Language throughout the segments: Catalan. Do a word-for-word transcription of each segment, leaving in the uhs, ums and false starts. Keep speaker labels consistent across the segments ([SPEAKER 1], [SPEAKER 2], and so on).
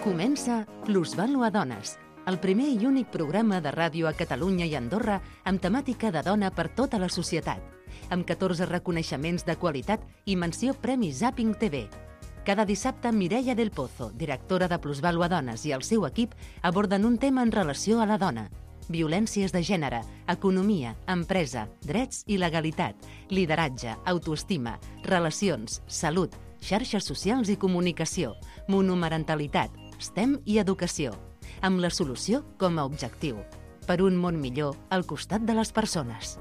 [SPEAKER 1] Comença Plusvàlua Dones, el primer i únic programa de ràdio a Catalunya i Andorra amb temàtica de dona per tota la societat, amb catorze reconeixements de qualitat i menció Premi Zapping T V. Cada dissabte, Mireia del Pozo, directora de Plusvàlua Dones, i el seu equip aborden un tema en relació a la dona. Violències de gènere, economia, empresa, drets i legalitat, lideratge, autoestima, relacions, salut, xarxes socials i comunicació, monomarentalitat, STEM i educació, amb la solució com a objectiu. Per un món millor al costat de les persones.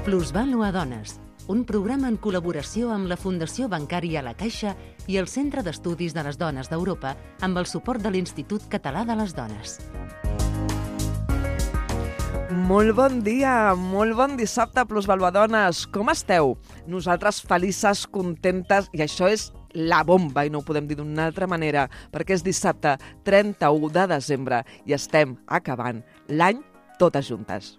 [SPEAKER 1] Plusvàlua Dones, un programa en col·laboració amb la Fundació Bancària La Caixa i el Centre d'Estudis de les Dones d'Europa amb el suport de l'Institut Català de les Dones.
[SPEAKER 2] Molt bon dia, molt bon dissabte, Plusvàlua Dones. Com esteu? Nosaltres felices, contentes, i això és la bomba, i no ho podem dir d'una altra manera, perquè és dissabte trenta-u de desembre i estem acabant l'any totes juntes.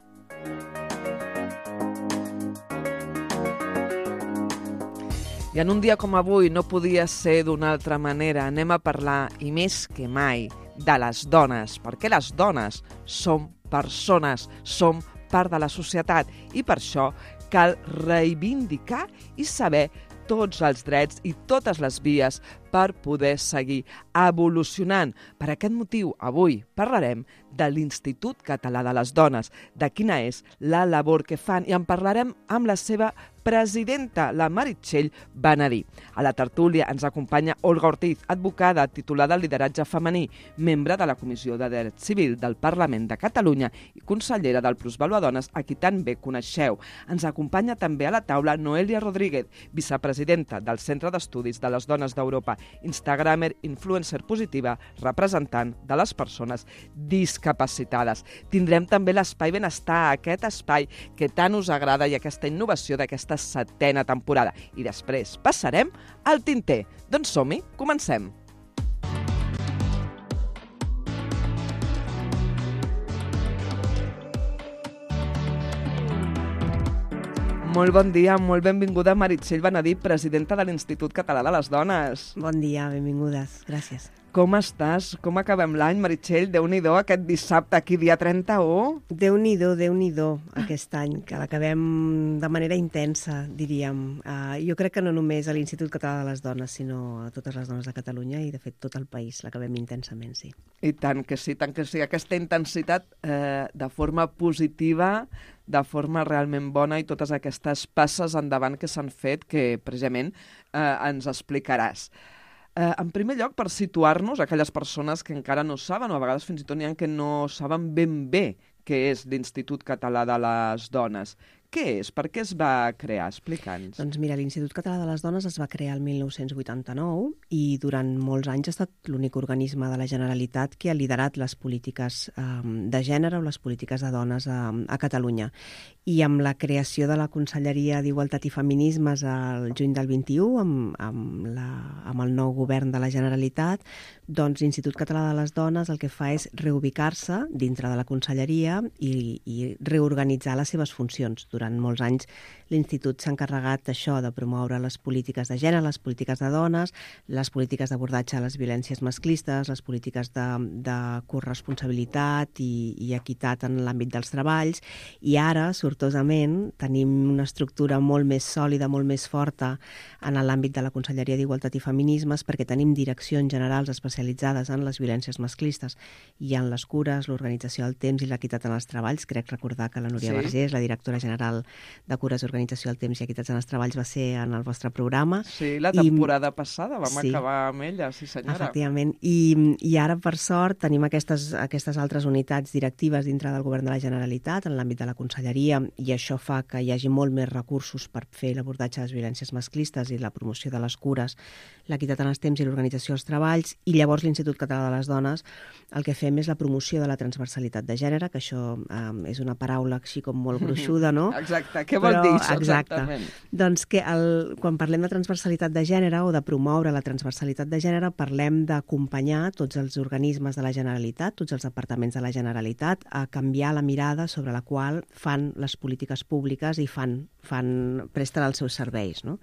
[SPEAKER 2] I en un dia com avui no podia ser d'una altra manera. Anem a parlar, i més que mai, de les dones, perquè les dones som persones, som part de la societat i per això cal reivindicar i saber tots els drets i totes les vies per poder seguir evolucionant. Per aquest motiu, avui parlarem de l'Institut Català de les Dones, de quina és la labor que fan, i en parlarem amb la seva presidenta, la Meritxell Benedí. A la tertúlia ens acompanya Olga Ortiz, advocada titulada en lideratge femení, membre de la Comissió de Dret Civil del Parlament de Catalunya i consellera del Plusvàlua Dones, a qui tan bé coneixeu. Ens acompanya també a la taula Noelia Rodríguez, vicepresidenta del Centre d'Estudis de les Dones d'Europa, instagramer, influencer positiva, representant de les persones discapacitades. Tindrem també l'espai benestar, aquest espai que tant us agrada i aquesta innovació d'aquesta setena temporada. I després passarem al tinter. Doncs som-hi, comencem. Molt bon dia, molt benvinguda Meritxell Benedí, presidenta de l'Institut Català de les Dones.
[SPEAKER 3] Bon dia, benvingudes, gràcies.
[SPEAKER 2] Com estàs? Com acabem l'any, Meritxell? Déu-n'hi-do, aquest dissabte, aquí, dia trenta-u.
[SPEAKER 3] Déu-n'hi-do, Déu-n'hi-do, aquest any, que l'acabem de manera intensa, diríem. Uh, jo crec que no només a l'Institut Català de les Dones, sinó a totes les dones de Catalunya i, de fet, tot el país l'acabem intensament, sí.
[SPEAKER 2] I tant que sí, tant que sí. Aquesta intensitat eh, de forma positiva, de forma realment bona, i totes aquestes passes endavant que s'han fet, que precisament eh, ens explicaràs. Eh, en primer lloc, per situar-nos, aquelles persones que encara no saben, o a vegades fins i tot n'hi ha que no saben ben bé què és l'Institut Català de les Dones. Què és? Per què es va crear? Explica'ns.
[SPEAKER 3] Doncs mira, l'Institut Català de les Dones es va crear el mil nou-cents vuitanta-nou i durant molts anys ha estat l'únic organisme de la Generalitat que ha liderat les polítiques eh, de gènere o les polítiques de dones a, a Catalunya. I amb la creació de la Conselleria d'Igualtat i Feminismes al juny del vint-i-u, amb, amb, la, amb el nou govern de la Generalitat, doncs l'Institut Català de les Dones el que fa és reubicar-se dintre de la Conselleria i, i reorganitzar les seves funcions. Durant molts anys l'Institut s'ha encarregat d'això, de promoure les polítiques de gènere, les polítiques de dones, les polítiques d'abordatge a les violències masclistes, les polítiques de, de corresponsabilitat i, i equitat en l'àmbit dels treballs, i ara, sortosament, tenim una estructura molt més sòlida, molt més forta en l'àmbit de la Conselleria d'Igualtat i Feminismes, perquè tenim direccions generals especialitzades en les violències masclistes i en les cures, l'organització del temps i l'equitat en els treballs. Crec recordar que la Núria sí. Vergés, la directora general de Cures, Organització del Temps i Equitats en els Treballs, va ser en el vostre programa.
[SPEAKER 2] Sí, la temporada I... passada vam
[SPEAKER 3] sí.
[SPEAKER 2] acabar amb ella, sí senyora.
[SPEAKER 3] Efectivament, I, i ara per sort tenim aquestes, aquestes altres unitats directives dintre del Govern de la Generalitat en l'àmbit de la Conselleria, i això fa que hi hagi molt més recursos per fer l'abordatge de les violències masclistes i la promoció de les cures, l'equitat en els temps i l'organització dels treballs. I llavors l'Institut Català de les Dones el que fem és la promoció de la transversalitat de gènere, que això eh, és una paraula així com molt gruixuda, no?
[SPEAKER 2] Exacte, què vol dir això?
[SPEAKER 3] Exacte.
[SPEAKER 2] Exactament.
[SPEAKER 3] Doncs que el, quan parlem de transversalitat de gènere o de promoure la transversalitat de gènere, parlem d'acompanyar tots els organismes de la Generalitat, tots els departaments de la Generalitat, a canviar la mirada sobre la qual fan les polítiques públiques i fan, fan presten els seus serveis, no?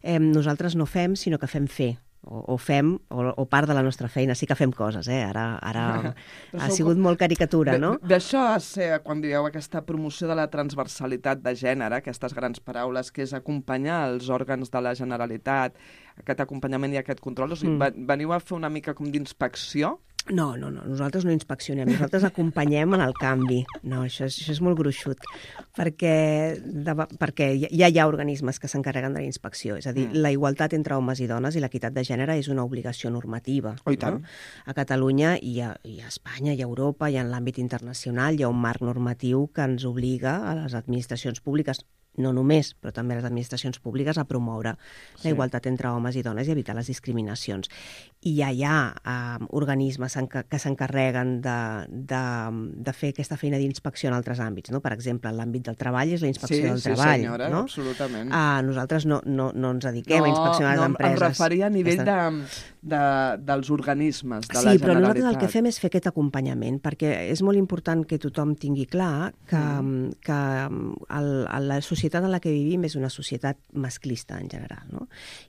[SPEAKER 3] Eh, nosaltres no fem, sinó que fem fer. o, o fem, o, o part de la nostra feina. Sí que fem coses, eh? Ara, ara ha sigut molt caricatura, no?
[SPEAKER 2] D'això és quan dieu aquesta promoció de la transversalitat de gènere, aquestes grans paraules, que és acompanyar els òrgans de la Generalitat, aquest acompanyament i aquest control. O sigui, mm. veniu a fer una mica com d'inspecció?
[SPEAKER 3] No, no, no, nosaltres no inspeccionem, nosaltres acompanyem en el canvi. No, això és, això és molt gruixut, perquè, de, perquè ja hi ha organismes que s'encarreguen de la inspecció. És a dir, mm. la igualtat entre homes i dones i l'equitat de gènere és una obligació normativa.
[SPEAKER 2] Oh, i tant.
[SPEAKER 3] No? A Catalunya i a, i a Espanya i a Europa i en l'àmbit internacional hi ha un marc normatiu que ens obliga a les administracions públiques, no només, però també a les administracions públiques, a promoure sí. la igualtat entre homes i dones i evitar les discriminacions. I ja hi ha eh, organismes que s'encarreguen de, de, de fer aquesta feina d'inspecció en altres àmbits. No? Per exemple, en l'àmbit del treball és la inspecció
[SPEAKER 2] sí,
[SPEAKER 3] del
[SPEAKER 2] sí,
[SPEAKER 3] treball.
[SPEAKER 2] Sí, senyora,
[SPEAKER 3] no?
[SPEAKER 2] absolutament.
[SPEAKER 3] Ah, nosaltres no, no, no ens dediquem
[SPEAKER 2] no,
[SPEAKER 3] a inspeccionar
[SPEAKER 2] no,
[SPEAKER 3] les empreses.
[SPEAKER 2] No, em referia a nivell de, de, dels organismes de
[SPEAKER 3] sí,
[SPEAKER 2] la Generalitat.
[SPEAKER 3] Sí, però nosaltres el que fem és fer aquest acompanyament, perquè és molt important que tothom tingui clar que, mm. que el, la societat en la que vivim és una societat masclista en general, no?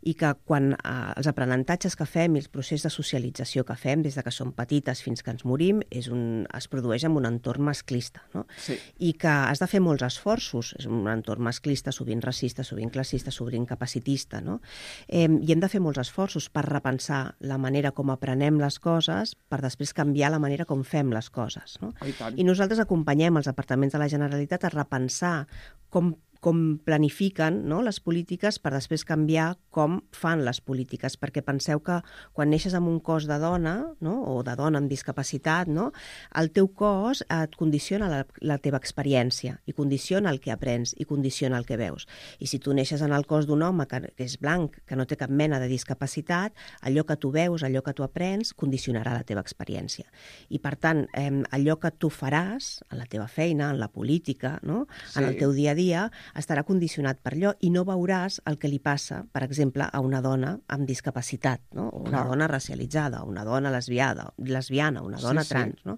[SPEAKER 3] I que quan eh, els aprenentatges que fem i el procés de socialització que fem des de que som petites fins que ens morim és un, es produeix en un entorn masclista, no?
[SPEAKER 2] Sí.
[SPEAKER 3] I que has de fer molts esforços, és un entorn masclista, sovint racista, sovint classista, sovint capacitista, no? Eh, I hem de fer molts esforços per repensar la manera com aprenem les coses per després canviar la manera com fem les coses, no?
[SPEAKER 2] Oh, i tant.
[SPEAKER 3] I nosaltres acompanyem els departaments de la Generalitat a repensar com com planifiquen, no, les polítiques per després canviar com fan les polítiques, perquè penseu que quan neixes amb un cos de dona, no, o de dona amb discapacitat, no, el teu cos et condiciona la, la teva experiència i condiciona el que aprens i condiciona el que veus. I si tu neixes en el cos d'un home que, que és blanc, que no té cap mena de discapacitat, allò que tu veus, allò que tu aprens, condicionarà la teva experiència. I per tant, eh, allò que tu faràs en la teva feina, en la política, no, sí. en el teu dia a dia, estarà condicionat per allò i no veuràs el que li passa, per exemple, a una dona amb discapacitat, no? O una Clar. dona racialitzada, una dona lesbiada, lesbiana, una dona sí, trans. Sí. No?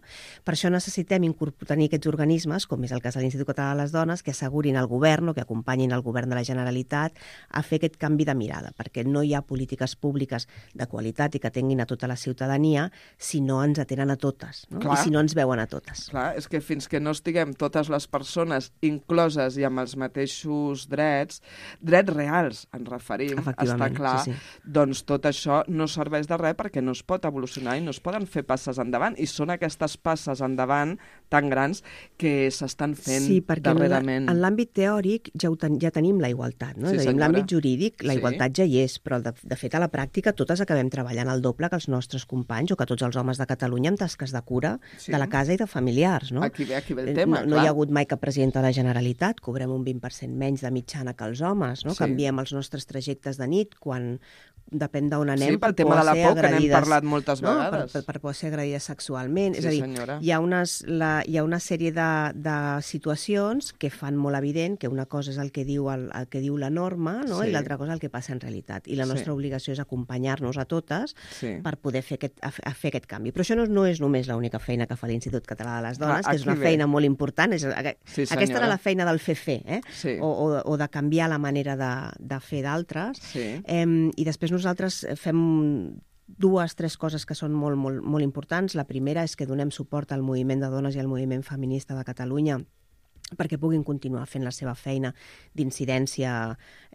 [SPEAKER 3] Per això necessitem tenir aquests organismes, com és el cas de l'Institut Català de les Dones, que assegurin al govern o que acompanyin el govern de la Generalitat a fer aquest canvi de mirada, perquè no hi ha polítiques públiques de qualitat i que tinguin a tota la ciutadania si no ens atenen a totes, no? I si no ens veuen a totes.
[SPEAKER 2] Clar, és que fins que no estiguem totes les persones incloses i amb els mateixos drets, drets reals, ens referim, està clar, sí, sí. doncs tot això no serveix de res perquè no es pot evolucionar i no es poden fer passes endavant. I són aquestes passes endavant tan grans que s'estan fent
[SPEAKER 3] sí, perquè
[SPEAKER 2] darrerament.
[SPEAKER 3] En l'àmbit teòric ja, ten, ja tenim la igualtat, no?
[SPEAKER 2] Sí,
[SPEAKER 3] és a dir, en l'àmbit jurídic la sí. igualtat ja hi és, però de, de fet a la pràctica totes acabem treballant el doble que els nostres companys o que tots els homes de Catalunya amb tasques de cura sí. de la casa i de familiars. No?
[SPEAKER 2] Aquí ve, aquí ve el tema,
[SPEAKER 3] no, no hi ha hagut mai cap president de la Generalitat, cobrem un vint per cent menys de mitjana que els homes, no? Sí. Canviem els nostres trajectes de nit quan depèn d'on anem.
[SPEAKER 2] Sí, pel tema de la por, que n'hem parlat moltes
[SPEAKER 3] no?
[SPEAKER 2] vegades.
[SPEAKER 3] Per, per, per poder ser agredides sexualment.
[SPEAKER 2] Sí,
[SPEAKER 3] és a dir,
[SPEAKER 2] senyora.
[SPEAKER 3] hi ha, unes, la, hi ha una sèrie de, de situacions que fan molt evident que una cosa és el que diu, el, el que diu la norma no? sí. i l'altra cosa el que passa en realitat. I la nostra sí. obligació és acompanyar-nos a totes sí. per poder fer aquest, a, a fer aquest canvi. Però això no, no és només l'única feina que fa l'Institut Català de les Dones, ah, que és una ve. feina molt important. És,
[SPEAKER 2] sí,
[SPEAKER 3] aquesta era la feina del fer-fer, eh?
[SPEAKER 2] sí.
[SPEAKER 3] o, o, o de canviar la manera de, de fer d'altres.
[SPEAKER 2] Sí.
[SPEAKER 3] Eh, I després nosaltres fem dues, tres coses que són molt, molt, molt importants. La primera és que donem suport al moviment de dones i al moviment feminista de Catalunya perquè puguin continuar fent la seva feina d'incidència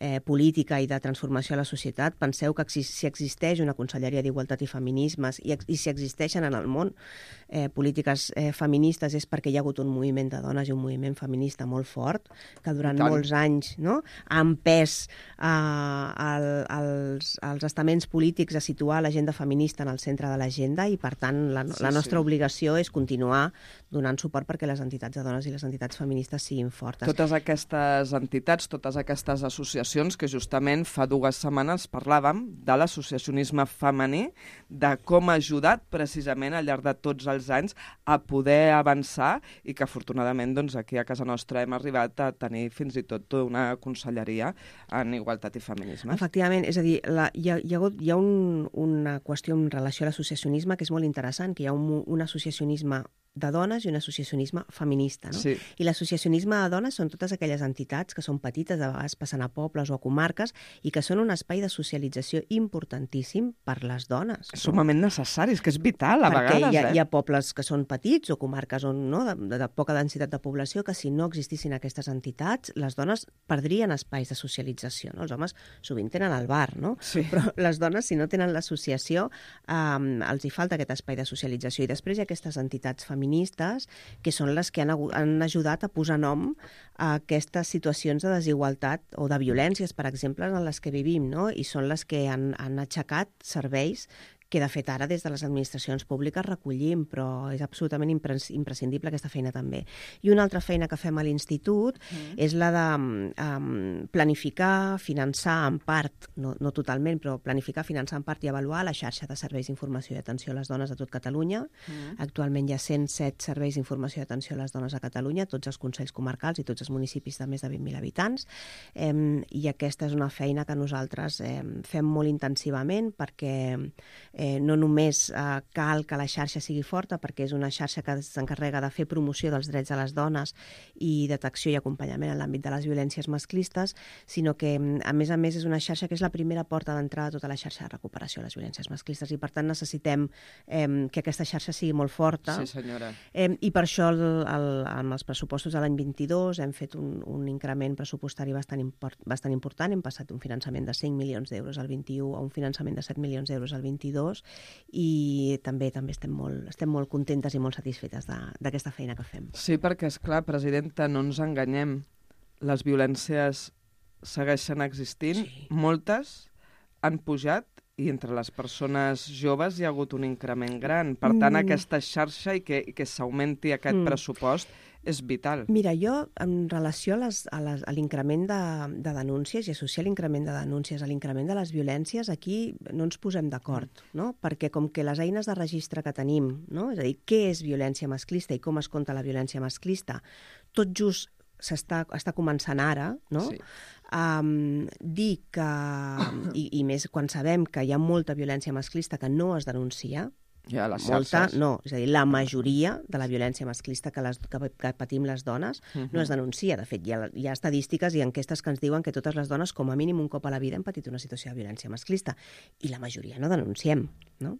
[SPEAKER 3] eh, política i de transformació a la societat. Penseu que si existeix una Conselleria d'Igualtat i Feminismes i, i si existeixen en el món eh, polítiques eh, feministes és perquè hi ha hagut un moviment de dones i un moviment feminista molt fort que durant molts anys no, ha empès eh, el, els, els estaments polítics a situar l'agenda feminista en el centre de l'agenda i, per tant, la, sí, la nostra sí. obligació és continuar donant suport perquè les entitats de dones i les entitats feministes siguin fortes.
[SPEAKER 2] Totes aquestes entitats, totes aquestes associacions que justament fa dues setmanes parlàvem de l'associacionisme femení, de com ha ajudat precisament al llarg de tots els anys a poder avançar i que afortunadament doncs, aquí a casa nostra hem arribat a tenir fins i tot una conselleria en igualtat i feminisme.
[SPEAKER 3] Efectivament, és a dir, la, hi ha, hi ha, hagut, hi ha un, una qüestió en relació a l'associacionisme que és molt interessant, que hi ha un, un associacionisme de dones i un associacionisme feminista. No?
[SPEAKER 2] Sí.
[SPEAKER 3] I l'associacionisme de dones són totes aquelles entitats que són petites, de vegades passen a pobles o a comarques, i que són un espai de socialització importantíssim per les dones.
[SPEAKER 2] És
[SPEAKER 3] no?
[SPEAKER 2] sumament necessari, és que és vital a
[SPEAKER 3] Perquè
[SPEAKER 2] vegades.
[SPEAKER 3] hi ha,
[SPEAKER 2] eh?
[SPEAKER 3] hi ha pobles que són petits o comarques on, no, de, de, de poca densitat de població que si no existissin aquestes entitats, les dones perdrien espais de socialització. No? Els homes sovint tenen el bar, no?
[SPEAKER 2] Sí.
[SPEAKER 3] Però les dones, si no tenen l'associació, eh, els hi falta aquest espai de socialització. I després hi ha aquestes entitats feministes que són les que han, han ajudat a posar nom a aquestes situacions de desigualtat o de violències, per exemple, en les que vivim, no? I són les que han, han aixecat serveis que de fet ara des de les administracions públiques recollim, però és absolutament impres imprescindible aquesta feina també. I una altra feina que fem a l'Institut mm. és la de um, planificar, finançar en part, no, no totalment, però planificar, finançar en part i avaluar la xarxa de serveis d'informació i atenció a les dones de tot Catalunya. Mm. Actualment hi ha cent set serveis d'informació i atenció a les dones a Catalunya, tots els consells comarcals i tots els municipis de més de vint mil habitants. Eh, I aquesta és una feina que nosaltres eh, fem molt intensivament perquè eh, Eh, no només eh, cal que la xarxa sigui forta, perquè és una xarxa que s'encarrega de fer promoció dels drets de les dones i detecció i acompanyament en l'àmbit de les violències masclistes, sinó que, a més a més, és una xarxa que és la primera porta d'entrada a tota la xarxa de recuperació de les violències masclistes i, per tant, necessitem eh, que aquesta xarxa sigui molt forta.
[SPEAKER 2] Sí, senyora.
[SPEAKER 3] Eh, I per això, el, el, amb els pressupostos de l'any vint-i-dos, hem fet un, un increment pressupostari bastant, import, bastant important. Hem passat un finançament de cinc milions d'euros al vint-i-u a un finançament de set milions d'euros al vint-i-dos, i també també estem molt, estem molt contentes i molt satisfetes d'aquesta feina que fem.
[SPEAKER 2] Sí, perquè, és clar, presidenta, no ens enganyem. Les violències segueixen existint, sí. Moltes han pujat i entre les persones joves hi ha hagut un increment gran. Per tant, mm. aquesta xarxa i que, i que s'augmenti aquest mm. pressupost és vital.
[SPEAKER 3] Mira, jo, en relació a, les, a, les, a l'increment de, de denúncies i associar l'increment de denúncies a l'increment de les violències, aquí no ens posem d'acord, no? Perquè com que les eines de registre que tenim, no? És a dir, què és violència masclista i com es compta la violència masclista, tot just s'està està començant ara, no? Sí. Um, dir que, i, i més quan sabem que hi ha molta violència masclista que no es denuncia,
[SPEAKER 2] ja, les
[SPEAKER 3] molta,
[SPEAKER 2] xarxes.
[SPEAKER 3] no, és a dir, la majoria de la violència masclista que, les, que, que patim les dones uh-huh. no es denuncia. De fet, hi ha, hi ha estadístiques i enquestes que ens diuen que totes les dones, com a mínim un cop a la vida, han patit una situació de violència masclista. I la majoria no denunciem, no?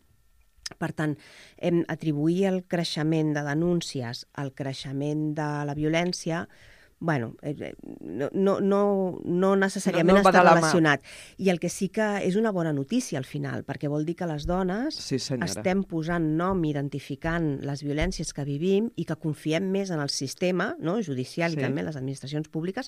[SPEAKER 3] Per tant, hem atribuir el creixement de denúncies al creixement de la violència, bueno, no, no, no, no necessàriament no, no està relacionat. I el que sí que és una bona notícia al final, perquè vol dir que les dones
[SPEAKER 2] sí,
[SPEAKER 3] estem posant nom, identificant les violències que vivim i que confiem més en el sistema, no, judicial sí. i també en les administracions públiques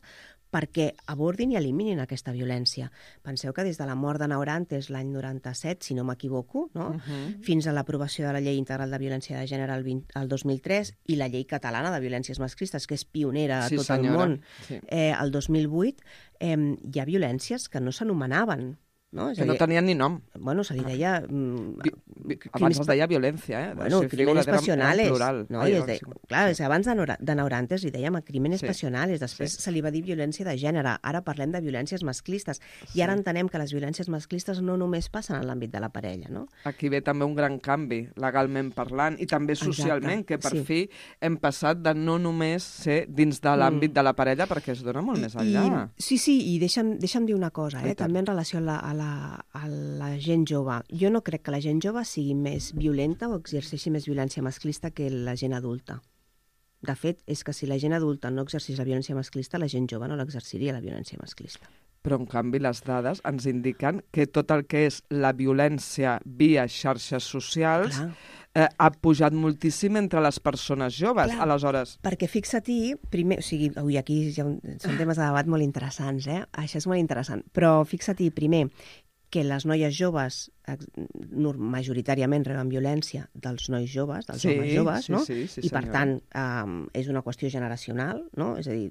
[SPEAKER 3] perquè abordin i eliminin aquesta violència. Penseu que des de la mort de Naurantes l'any noranta-set, si no m'equivoco, no? uh-huh. fins a l'aprovació de la Llei Integral de Violència de Gènere el, vint, el dos mil tres i la Llei Catalana de Violències Masclistes, que és pionera a
[SPEAKER 2] sí,
[SPEAKER 3] tot el món, sí. eh, el dos mil vuit, eh, hi ha violències que no s'anomenaven. No?
[SPEAKER 2] Que no tenien ni nom.
[SPEAKER 3] Bueno, se li deia... Mm,
[SPEAKER 2] vi, vi, abans es deia violència, eh?
[SPEAKER 3] Bueno,
[SPEAKER 2] si
[SPEAKER 3] crímenes pasionales.
[SPEAKER 2] Plural.
[SPEAKER 3] No?
[SPEAKER 2] Ai,
[SPEAKER 3] I de, clar, sí. abans de, de Naurantes li dèiem crímenes sí. pasionales, després sí. se li va dir violència de gènere, ara parlem de violències masclistes, sí. i ara entenem que les violències masclistes no només passen en l'àmbit de la parella, no?
[SPEAKER 2] Aquí ve també un gran canvi, legalment parlant, i també socialment, Exacte. que per sí. fi hem passat de no només ser dins de l'àmbit mm. de la parella, perquè es dona molt I, més enllà.
[SPEAKER 3] I, sí, sí, i deixa'm, deixa'm dir una cosa, eh? també en relació a la, a la, a la gent jove. Jo no crec que la gent jove sigui més violenta o exerceixi més violència masclista que la gent adulta. De fet, és que si la gent adulta no exercís la violència masclista, la gent jove no l'exerciria, la violència masclista.
[SPEAKER 2] Però, en canvi, les dades ens indiquen que tot el que és la violència via xarxes socials eh, ha pujat moltíssim entre les persones joves.
[SPEAKER 3] Clar,
[SPEAKER 2] aleshores...
[SPEAKER 3] Perquè fixa-t'hi, primer, o sigui, ui, aquí hi ha un, són temes de debat molt interessants, eh? Això és molt interessant, però fixa-t'hi, primer, que les noies joves majoritàriament reben violència dels nois joves, dels sí, homes joves,
[SPEAKER 2] sí,
[SPEAKER 3] no?
[SPEAKER 2] Sí, sí,
[SPEAKER 3] I per
[SPEAKER 2] senyora.
[SPEAKER 3] tant um, és una qüestió generacional, no? És a dir,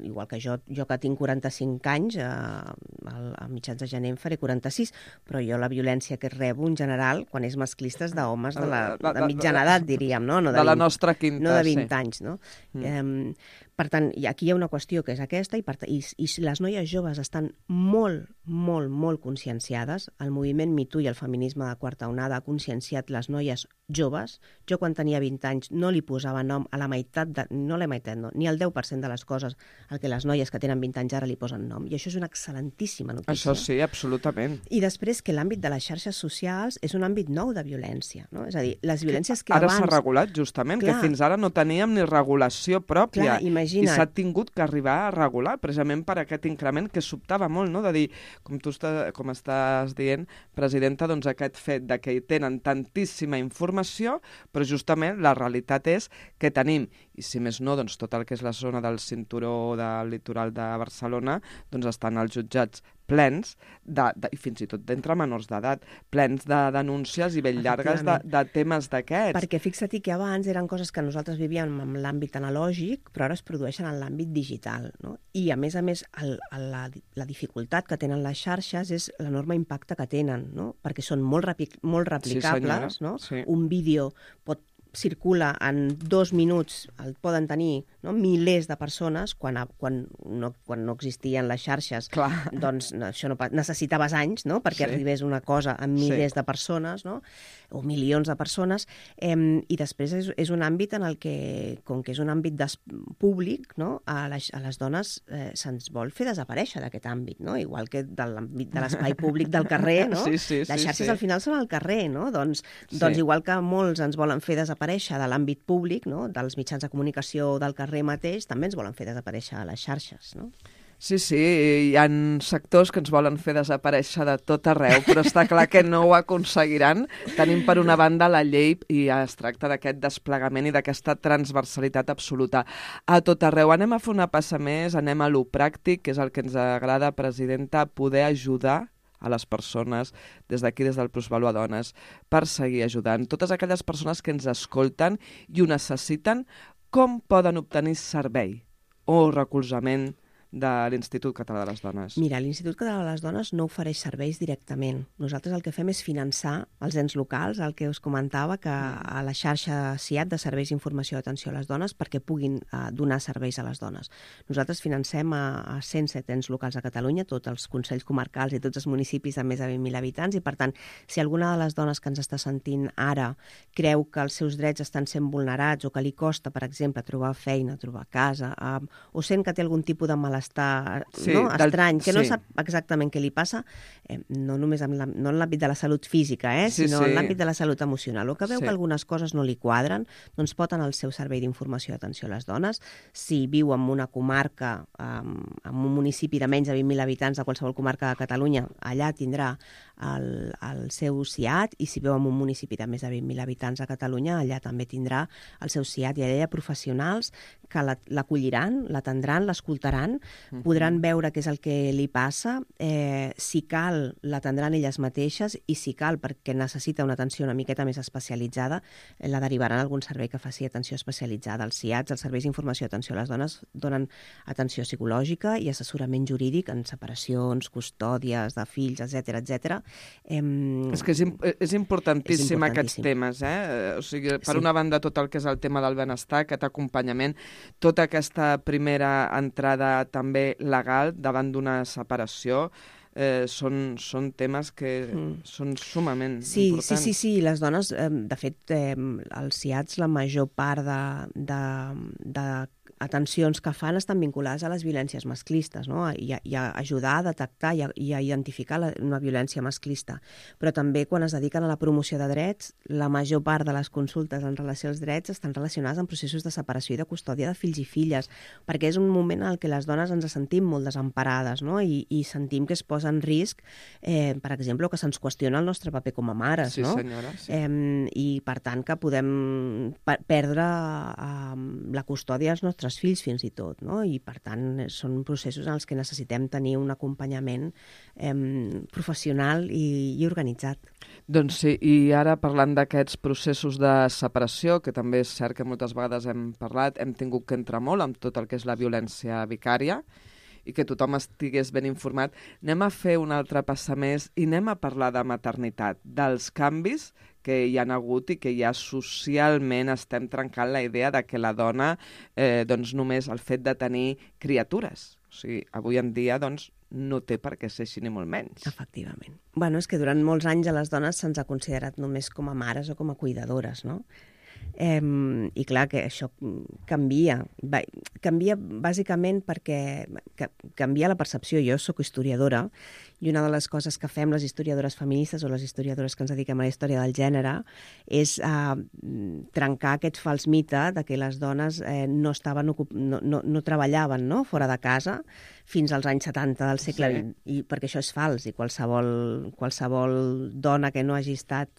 [SPEAKER 3] igual que jo, jo que tinc quaranta-cinc anys, eh, a mitjans de gener en faré quaranta-sis, però jo la violència que rebo en general, quan és masclista, és d'homes de, la, de mitjana edat, diríem, no? no
[SPEAKER 2] de, de la
[SPEAKER 3] vint,
[SPEAKER 2] nostra quinta,
[SPEAKER 3] no de vint
[SPEAKER 2] sí.
[SPEAKER 3] anys, no?
[SPEAKER 2] Mm.
[SPEAKER 3] Um, per tant, aquí hi ha una qüestió que és aquesta, i, per, i, i les noies joves estan molt, molt, molt conscienciades. El moviment Me Too i el feminisme de quarta onada ha conscienciat les noies joves. Jo quan tenia vint anys no li posava nom a la meitat, de, no la meitat, no, ni al deu per cent de les coses al que les noies que tenen vint anys ara li posen nom. I això és una excel·lentíssima notícia.
[SPEAKER 2] Això sí, absolutament.
[SPEAKER 3] I després que l'àmbit de les xarxes socials és un àmbit nou de violència. No? És a dir, les violències que,
[SPEAKER 2] que ara
[SPEAKER 3] abans...
[SPEAKER 2] s'ha regulat, justament,
[SPEAKER 3] clar,
[SPEAKER 2] que fins ara no teníem ni regulació pròpia.
[SPEAKER 3] Clar, imagina't.
[SPEAKER 2] I s'ha tingut que arribar a regular, precisament per aquest increment que sobtava molt, no? De dir, com tu està, com estàs dient, presidenta, doncs aquest fet de que hi tenen tantíssima informació, però justament la realitat és que tenim, i si més no, doncs tot el que és la zona del cinturó del litoral de Barcelona, doncs estan els jutjats plens, de, de, i fins i tot d'entre menors d'edat, plens de denúncies i ben llargues de, de temes d'aquests.
[SPEAKER 3] Perquè fixa't que abans eren coses que nosaltres vivíem en l'àmbit analògic, però ara es produeixen en l'àmbit digital. No? I a més a més, el, el, la, la dificultat que tenen les xarxes és l'enorme impacte que tenen, no? Perquè són molt, repi, molt replicables.
[SPEAKER 2] Sí,
[SPEAKER 3] no?
[SPEAKER 2] Sí.
[SPEAKER 3] Un vídeo pot circula en dos minuts, el poden tenir, no, milers de persones, quan, quan, no, quan no existien les xarxes.
[SPEAKER 2] Clar.
[SPEAKER 3] Doncs no, això no, necessitaves anys, no?, perquè sí. arribés una cosa a milers sí. de persones, no?, o milions de persones, eh, i després és, és un àmbit en el que, com que és un àmbit públic, no?, a les, a les dones eh, se'ns vol fer desaparèixer d'aquest àmbit, no?, igual que de l'àmbit de l'espai públic del carrer, no?
[SPEAKER 2] Sí, sí,
[SPEAKER 3] les xarxes
[SPEAKER 2] sí, sí.
[SPEAKER 3] al final són al carrer, no?, doncs,
[SPEAKER 2] sí.
[SPEAKER 3] doncs igual que molts ens volen fer desaparèixer de l'àmbit públic, no?, dels mitjans de comunicació del carrer mateix, també ens volen fer desaparèixer a les xarxes, no?
[SPEAKER 2] Sí, sí, hi ha sectors que ens volen fer desaparèixer de tot arreu, però està clar que no ho aconseguiran. Tenim per una banda la llei i es tracta d'aquest desplegament i d'aquesta transversalitat absoluta a tot arreu. Anem a fer una passa més, anem a lo pràctic, que és el que ens agrada, presidenta, poder ajudar a les persones, des d'aquí, des del Plusvalor a Dones, per seguir ajudant. Totes aquelles persones que ens escolten i ho necessiten, com poden obtenir servei o recolzament de l'Institut Català de les Dones?
[SPEAKER 3] Mira, l'Institut Català de les Dones no ofereix serveis directament. Nosaltres el que fem és finançar els ens locals, el que us comentava, que a la xarxa C I A T de Serveis d'Informació i Atenció a les Dones, perquè puguin uh, donar serveis a les dones. Nosaltres financem a, a cent set ens locals a Catalunya, tots els consells comarcals i tots els municipis de més de vint mil habitants, i per tant, si alguna de les dones que ens està sentint ara creu que els seus drets estan sent vulnerats o que li costa, per exemple, trobar feina, trobar casa, uh, o sent que té algun tipus de malestar estar
[SPEAKER 2] sí,
[SPEAKER 3] no?
[SPEAKER 2] del,
[SPEAKER 3] estrany, que
[SPEAKER 2] sí.
[SPEAKER 3] no sap exactament què li passa, eh, no només en la, no en l'àmbit de la salut física, eh,
[SPEAKER 2] sí,
[SPEAKER 3] sinó
[SPEAKER 2] sí.
[SPEAKER 3] en l'àmbit de la salut emocional, o que veu
[SPEAKER 2] sí.
[SPEAKER 3] que algunes coses no li quadren, doncs pot anar al seu servei d'informació i atenció a les dones. Si viu en una comarca, eh, en un municipi de menys de vint mil habitants de qualsevol comarca de Catalunya, allà tindrà el, el seu C I A T, i si viu en un municipi de més de vint mil habitants a Catalunya, allà també tindrà el seu C I A T, i allà hi ha professionals que l'acolliran, l'atendran, l'escoltaran, uh-huh. podran veure què és el que li passa, eh, si cal l'atendran elles mateixes, i si cal, perquè necessita una atenció una miqueta més especialitzada, eh, la derivaran a algun servei que faci atenció especialitzada. Els C I A Ts, els serveis d'informació i atenció a les dones, donen atenció psicològica i assessorament jurídic en separacions, custòdies de fills, etcètera, etcètera. Eh,
[SPEAKER 2] és que és, és importantíssim
[SPEAKER 3] és
[SPEAKER 2] aquests temes, eh? O sigui, per
[SPEAKER 3] sí.
[SPEAKER 2] una banda, tot el que és el tema del benestar, aquest acompanyament, tota aquesta primera entrada també legal davant d'una separació, eh, són, són temes que mm. són sumament
[SPEAKER 3] sí,
[SPEAKER 2] importants.
[SPEAKER 3] Sí, sí, sí, les dones, eh, de fet, eh, els C I A Ts, la major part de, de, de atencions que fan estan vinculades a les violències masclistes, no? I, a, i a ajudar a detectar i a, i a identificar la, una violència masclista. Però també quan es dediquen a la promoció de drets, la major part de les consultes en relació als drets estan relacionades amb processos de separació i de custòdia de fills i filles, perquè és un moment en què les dones ens sentim molt desemparades, no? I, i sentim que es posa en risc, eh, per exemple, que se'ns qüestiona el nostre paper com a mares,
[SPEAKER 2] sí,
[SPEAKER 3] no?
[SPEAKER 2] Senyora, sí.
[SPEAKER 3] Eh, I, per tant, que podem per perdre eh, la custòdia dels nostres fills fins i tot, no? I per tant són processos en els que necessitem tenir un acompanyament eh, professional i, i organitzat.
[SPEAKER 2] Doncs sí, i ara parlant d'aquests processos de separació, que també és cert que moltes vegades hem parlat, hem tingut que entrar molt amb tot el que és la violència vicària i que tothom estigués ben informat, anem a fer un altre passa més i anem a parlar de maternitat, dels canvis que hi ha hagut i que ja socialment estem trencant la idea de que la dona, eh, doncs només el fet de tenir criatures. O sigui, avui en dia, doncs, no té per què ser així ni molt menys.
[SPEAKER 3] Efectivament. Bueno, és que durant molts anys a les dones se'ns ha considerat només com a mares o com a cuidadores, no? Eh, I clar que això canvia. Va, canvia bàsicament perquè ca, canvia la percepció. Jo sóc historiadora i una de les coses que fem les historiadores feministes o les historiadores que ens dediquem a la història del gènere és eh, trencar aquest fals mite de que les dones eh, no, estaven, no, no, no treballaven, no? Fora de casa fins als anys setanta del segle
[SPEAKER 2] Sí.
[SPEAKER 3] vint, i perquè això és fals, i qualsevol, qualsevol dona que no hagi estat,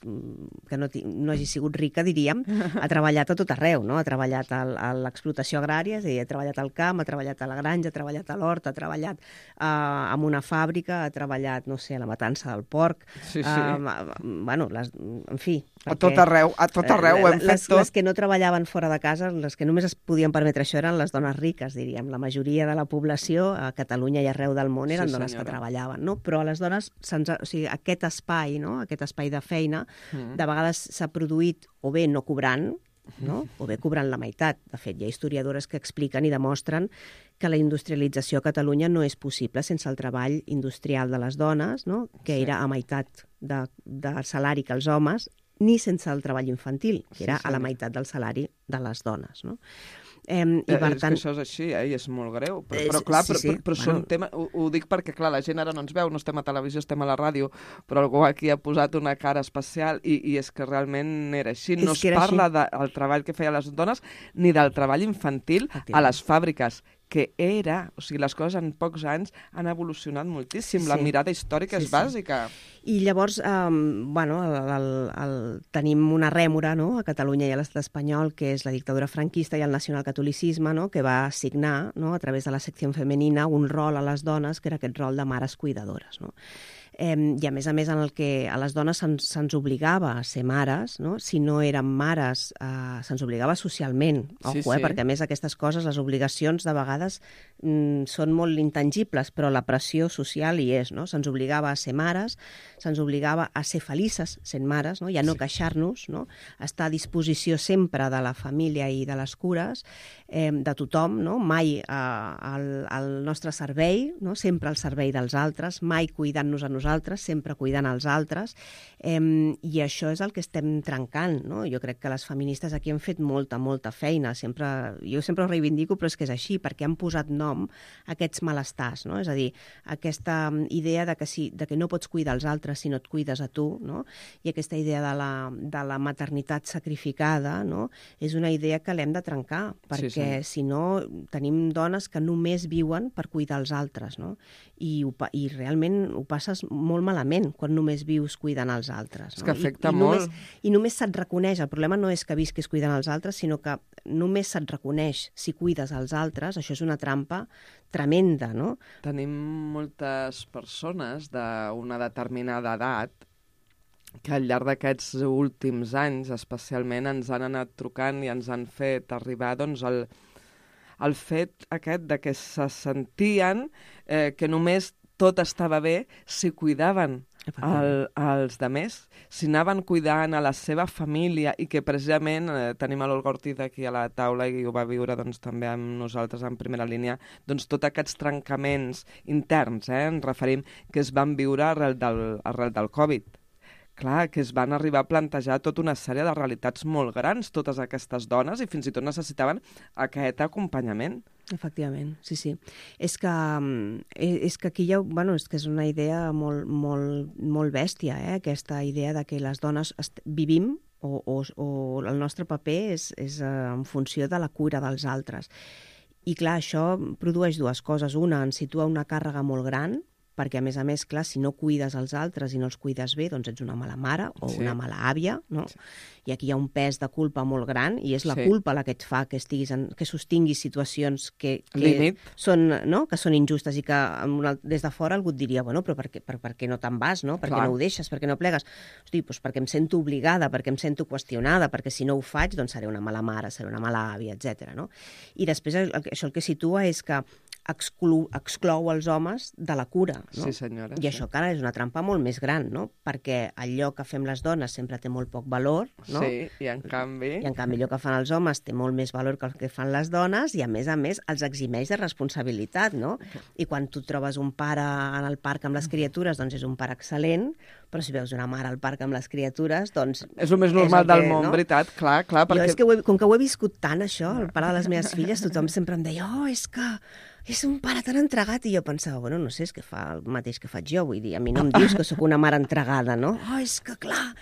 [SPEAKER 3] que no, no hagi sigut rica, diríem, ha treballat a tot arreu, no? Ha treballat a, a l'explotació agrària, és a dir, ha treballat al camp, ha treballat a la granja, ha treballat a l'hort, ha treballat eh, en una fàbrica, ha treballat, no sé, a la matança del porc,
[SPEAKER 2] Sí, sí.
[SPEAKER 3] eh, bueno, les, en fi.
[SPEAKER 2] A tot arreu, a tot arreu ho hem fet
[SPEAKER 3] les,
[SPEAKER 2] tot.
[SPEAKER 3] Les que no treballaven fora de casa, les que només es podien permetre això eren les dones riques, diríem. La majoria de la població a Catalunya i arreu del món eren
[SPEAKER 2] Sí,
[SPEAKER 3] dones
[SPEAKER 2] senyora.
[SPEAKER 3] que treballaven, no? Però a les dones, se'ns ha, o sigui, aquest espai, no? Aquest espai de feina,
[SPEAKER 2] Mm.
[SPEAKER 3] de vegades s'ha produït o bé no cobrant, no? O bé cobrant la meitat. De fet, hi ha historiadores que expliquen i demostren que la industrialització a Catalunya no és possible sense el treball industrial de les dones, no? Que
[SPEAKER 2] Sí.
[SPEAKER 3] era a meitat de, de salari que els homes, ni sense el treball infantil, que era
[SPEAKER 2] Sí, sí.
[SPEAKER 3] a la meitat del salari de les dones, no? Eh, i
[SPEAKER 2] Eh,
[SPEAKER 3] per
[SPEAKER 2] és
[SPEAKER 3] tant,
[SPEAKER 2] que això és així, eh? I és molt greu. Però,
[SPEAKER 3] Eh,
[SPEAKER 2] però clar,
[SPEAKER 3] sí,
[SPEAKER 2] però,
[SPEAKER 3] sí.
[SPEAKER 2] però, però
[SPEAKER 3] Bueno.
[SPEAKER 2] són tema... Ho, ho dic perquè, clar, la gent ara no ens veu, no estem a televisió, estem a la ràdio, però algú aquí ha posat una cara especial i, i és que realment era així. No
[SPEAKER 3] És
[SPEAKER 2] es
[SPEAKER 3] que era
[SPEAKER 2] parla del treball que feien les dones ni del treball infantil a
[SPEAKER 3] Efectivament.
[SPEAKER 2] les fàbriques, que era... O sigui, les coses en pocs anys han evolucionat moltíssim.
[SPEAKER 3] Sí,
[SPEAKER 2] La
[SPEAKER 3] sí.
[SPEAKER 2] mirada històrica
[SPEAKER 3] Sí,
[SPEAKER 2] és
[SPEAKER 3] sí.
[SPEAKER 2] bàsica.
[SPEAKER 3] I llavors, eh, bueno, el, el, el, tenim una rèmora, no?, a Catalunya i a l'estat espanyol, que és la dictadura franquista i el nacionalcatolicisme, no?, que va assignar, no?, a través de la secció femenina, un rol a les dones, que era aquest rol de mares cuidadores, no? Eh, I a més a més en el que a les dones se'ns se'ns obligava a ser mares, no? Si no érem mares, eh, se'ns obligava socialment,
[SPEAKER 2] Sí,
[SPEAKER 3] ojo, eh?
[SPEAKER 2] sí.
[SPEAKER 3] Perquè a més aquestes coses, les obligacions de vegades mm, són molt intangibles, però la pressió social hi és, no? Se'ns obligava a ser mares, se'ns obligava a ser felices sent mares, no? I a no
[SPEAKER 2] Sí.
[SPEAKER 3] queixar-nos, no? A estar a disposició sempre de la família i de les cures, eh, de tothom, no? Mai eh, al, al nostre servei, no? Sempre al servei dels altres, mai cuidant-nos a nosaltres, sempre cuidant els altres, eh, i això és el que estem trencant, no? Jo crec que les feministes aquí han fet molta, molta feina, sempre, jo sempre ho reivindico, però és que és així, perquè han posat nom a aquests malestars, no? És a dir, aquesta idea de que, si, de que no pots cuidar els altres si no et cuides a tu, no? I aquesta idea de la, de la maternitat sacrificada, no? És una idea que l'hem de trencar, perquè
[SPEAKER 2] sí.
[SPEAKER 3] si no tenim dones que només viuen per cuidar els altres, no? I, ho, pa- i realment ho passes molt malament quan només vius cuidant els altres.
[SPEAKER 2] És
[SPEAKER 3] No?
[SPEAKER 2] que afecta
[SPEAKER 3] I, i
[SPEAKER 2] molt.
[SPEAKER 3] Només, I només se't reconeix, el problema no és que visquis cuidant els altres, sinó que només se't reconeix si cuides els altres, això és una trampa tremenda, no?
[SPEAKER 2] Tenim moltes persones d'una determinada edat que al llarg d'aquests últims anys especialment ens han anat trucant i ens han fet arribar doncs, el, el fet aquest de que se sentien eh, que només tot estava bé si cuidaven el, els demés, si anaven cuidant a la seva família i que precisament eh, tenim a l'Olga Ortiz aquí a la taula i ho va viure doncs, també amb nosaltres en primera línia, doncs tots aquests trencaments interns, eh, ens referim, que es van viure arrel del, arrel del Covid. Clar, que es van arribar a plantejar tota una sèrie de realitats molt grans, totes aquestes dones, i fins i tot necessitaven aquest acompanyament.
[SPEAKER 3] Efectivament, sí, sí. És que, mm, és que aquí hi ha, bueno, és que és una idea molt, molt, molt bèstia, eh? Aquesta idea de que les dones vivim o, o, o el nostre paper és, és en funció de la cura dels altres. I clar, això produeix dues coses. Una, ens situa una càrrega molt gran, perquè, a més a més, clar, si no cuides els altres i no els cuides bé, doncs ets una mala mare o
[SPEAKER 2] Sí.
[SPEAKER 3] una mala àvia, no?
[SPEAKER 2] Sí.
[SPEAKER 3] I aquí hi ha un pes de culpa molt gran i és la
[SPEAKER 2] Sí.
[SPEAKER 3] culpa la que et fa que, estiguis en, que sostinguis situacions que, que,
[SPEAKER 2] Límit.
[SPEAKER 3] són, no? que són injustes i que una, des de fora algú et diria, bueno, però per què, per, per què no te'n vas, no? Per què
[SPEAKER 2] Clar.
[SPEAKER 3] no ho deixes, per què no plegues? Hosti, doncs perquè em sento obligada, perquè em sento qüestionada, perquè si no ho faig, doncs seré una mala mare, seré una mala àvia, etcètera. No? I després el, això el que situa és que exclou, exclou els homes de la cura. No?
[SPEAKER 2] Sí, senyora.
[SPEAKER 3] I això, cara, és una trampa molt més gran, no? Perquè allò que fem les dones sempre té molt poc valor, no?
[SPEAKER 2] Sí, i en canvi...
[SPEAKER 3] I en canvi allò que fan els homes té molt més valor que el que fan les dones i, a més a més, els eximeix de responsabilitat, no? I quan tu trobes un pare en el parc amb les criatures, doncs és un pare excel·lent, però si veus una mare al parc amb les criatures, doncs...
[SPEAKER 2] És el més normal
[SPEAKER 3] el que,
[SPEAKER 2] del món, no? Veritat, clar, clar, perquè...
[SPEAKER 3] Jo és que ho he, com que ho he viscut tant, això, el pare de les meves filles, tothom sempre em deia, oh, és que és un pare tan entregat, i jo pensava, bueno, no sé, és que fa el mateix que faig jo, vull dir, a mi no em dius que sóc una mare entregada, no? Oh, és que, clar,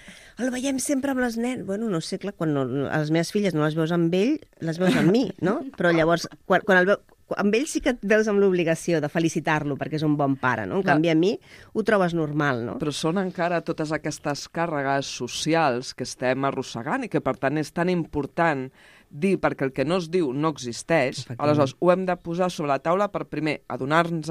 [SPEAKER 3] el veiem sempre amb les nenes. Bueno, no sé, clar, quan no, les meves filles no les veus amb ell, les veus amb mi, no? Però llavors, quan, quan el veu... amb ell sí que et veus amb l'obligació de felicitar-lo perquè és un bon pare, no? En canvi, a mi ho trobes normal, no?
[SPEAKER 2] Però són encara totes aquestes càrregues socials que estem arrossegant i que, per tant, és tan important dir, perquè el que no es diu no existeix. Aleshores, ho hem de posar sobre la taula per, primer, adonar-nos,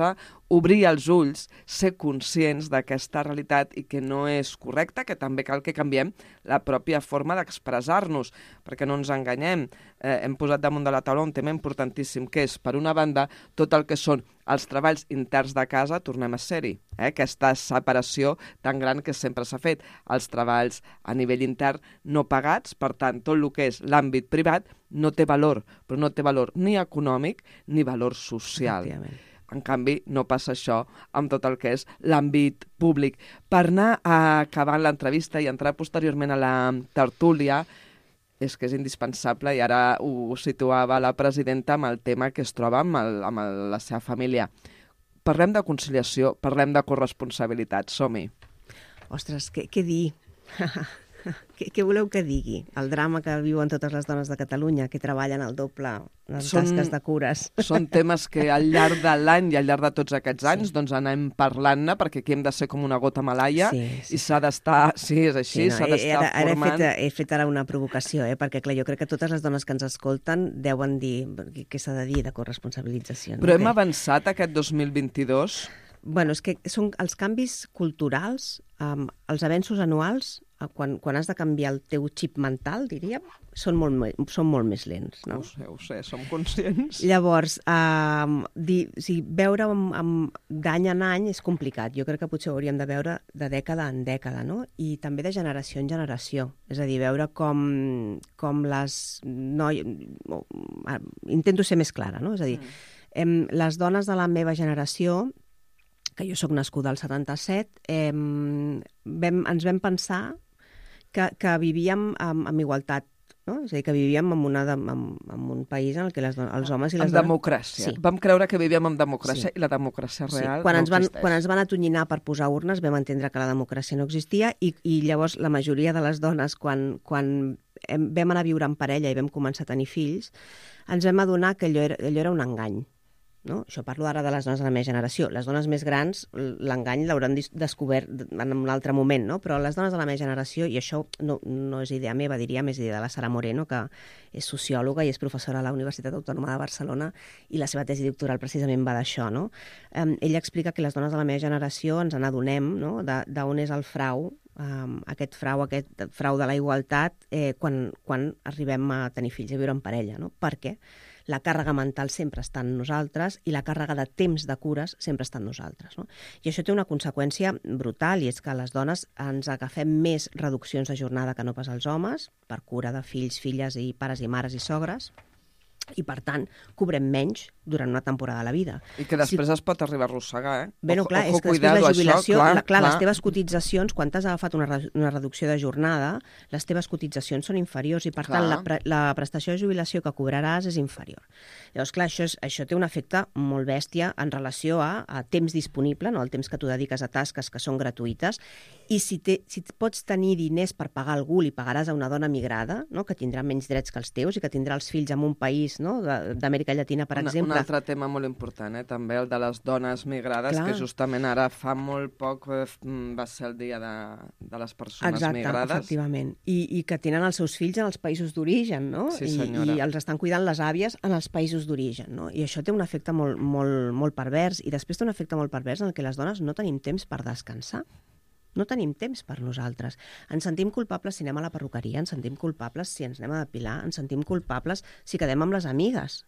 [SPEAKER 2] obrir els ulls, ser conscients d'aquesta realitat i que no és correcta, que també cal que canviem la pròpia forma d'expressar-nos, perquè no ens enganyem. Eh, hem posat damunt de la taula un tema importantíssim, que és, per una banda, tot el que són els treballs interns de casa, tornem a ser-hi. Eh? Aquesta separació tan gran que sempre s'ha fet. Els treballs a nivell intern no pagats, per tant, tot el que és l'àmbit privat no té valor, però no té valor ni econòmic ni valor social. En canvi, no passa això amb tot el que és l'àmbit públic. Per anar acabant l'entrevista i entrar posteriorment a la tertúlia, és que és indispensable, i ara ho situava la presidenta amb el tema que es troba amb, el, amb el, la seva família. Parlem de conciliació, parlem de corresponsabilitat, som-hi.
[SPEAKER 3] Ostres, què, què dir? Què, què voleu que digui? El drama que viuen totes les dones de Catalunya, que treballen al doble en són, tasques de cures.
[SPEAKER 2] Són temes que al llarg de l'any i al llarg de tots aquests anys sí. doncs anem parlant-ne, perquè aquí hem de ser com una gota malaia sí, sí. i s'ha d'estar... Sí, és així, sí, no, s'ha d'estar
[SPEAKER 3] ara, ara
[SPEAKER 2] formant...
[SPEAKER 3] He fet, he fet ara una provocació, eh? Perquè clar, jo crec que totes les dones que ens escolten deuen dir què s'ha de dir de corresponsabilització. No?
[SPEAKER 2] Però hem
[SPEAKER 3] que...
[SPEAKER 2] avançat aquest dos mil vint-i-dos?
[SPEAKER 3] Bueno, és que són els canvis culturals, um, els avenços anuals, quan, quan has de canviar el teu xip mental, diríem, són molt, són molt més lents. No?
[SPEAKER 2] Ho sé, ho sé, som conscients.
[SPEAKER 3] Llavors, um, di, o sigui, veure amb, amb, d'any en any és complicat. Jo crec que potser ho hauríem de veure de dècada en dècada, no? I també de generació en generació. És a dir, veure com, com les noies... Intento ser més clara, no? És a dir, mm. em, les dones de la meva generació, que jo sóc nascuda al setanta-set, eh, vam, ens vam pensar que, que vivíem amb, amb igualtat, no? És a dir, que vivíem en, una de, en, en un país en el que les dones, els homes i les
[SPEAKER 2] dones... En democràcia. Sí. Vam creure que vivíem en democràcia sí. i la democràcia real sí. quan
[SPEAKER 3] no
[SPEAKER 2] ens
[SPEAKER 3] van,
[SPEAKER 2] existeix.
[SPEAKER 3] Quan ens van atonyinar per posar urnes vam entendre que la democràcia no existia i, i llavors la majoria de les dones, quan, quan hem, vam anar a viure en parella i vam començar a tenir fills, ens vam adonar que allò era, allò era un engany. No? Això parlo ara de les dones de la meva generació. Les dones més grans, l'engany l'hauran descobert en un altre moment, no? Però les dones de la meva generació, i això no, no és idea meva, diríem, és idea de la Sara Moreno, que és sociòloga i és professora a la Universitat Autònoma de Barcelona, i la seva tesi doctoral precisament va d'això, no? Eh, ella explica que les dones de la meva generació ens n'adonem, no?, d'on és el frau, Um, aquest frau, aquest frau de la igualtat eh, quan, quan arribem a tenir fills, a viure en parella, no? Perquè la càrrega mental sempre està en nosaltres i la càrrega de temps de cures sempre està en nosaltres, no? I això té una conseqüència brutal, i és que les dones ens agafem més reduccions de jornada que no pas els homes, per cura de fills, filles i pares i mares i sogres, i, per tant, cobrem menys durant una temporada de la vida.
[SPEAKER 2] I que després si... es pot arribar a arrossegar, eh?
[SPEAKER 3] Bé, no, clar, ojo, és que després la jubilació, això, clar, la, clar, clar, les teves cotitzacions, quan t'has agafat una, re, una reducció de jornada, les teves cotitzacions són inferiors i, per clar. tant, la, pre, la prestació de jubilació que cobraràs és inferior. Llavors, clar, això, és, això té un efecte molt bèstia en relació a, a temps disponible, no? El temps que tu dediques a tasques que són gratuïtes, i si, te, si pots tenir diners per pagar algú, li pagaràs a una dona migrada, no? Que tindrà menys drets que els teus i que tindrà els fills en un país, no? d'Amèrica Llatina, per
[SPEAKER 2] una,
[SPEAKER 3] exemple.
[SPEAKER 2] Un altre tema molt important, eh? també el de les dones migrades, clar. Que justament ara fa molt poc eh, va ser el dia de, de les persones
[SPEAKER 3] Exacte,
[SPEAKER 2] migrades.
[SPEAKER 3] Exacte, efectivament. I, I que tenen els seus fills en els països d'origen, no?
[SPEAKER 2] Sí,
[SPEAKER 3] I, I els estan cuidant les àvies en els països d'origen, no? I això té un efecte molt, molt, molt pervers, i després té un efecte molt pervers en el que les dones no tenim temps per descansar. No tenim temps per nosaltres. Ens sentim culpables si anem a la perruqueria, ens sentim culpables si ens anem a depilar, ens sentim culpables si quedem amb les amigues.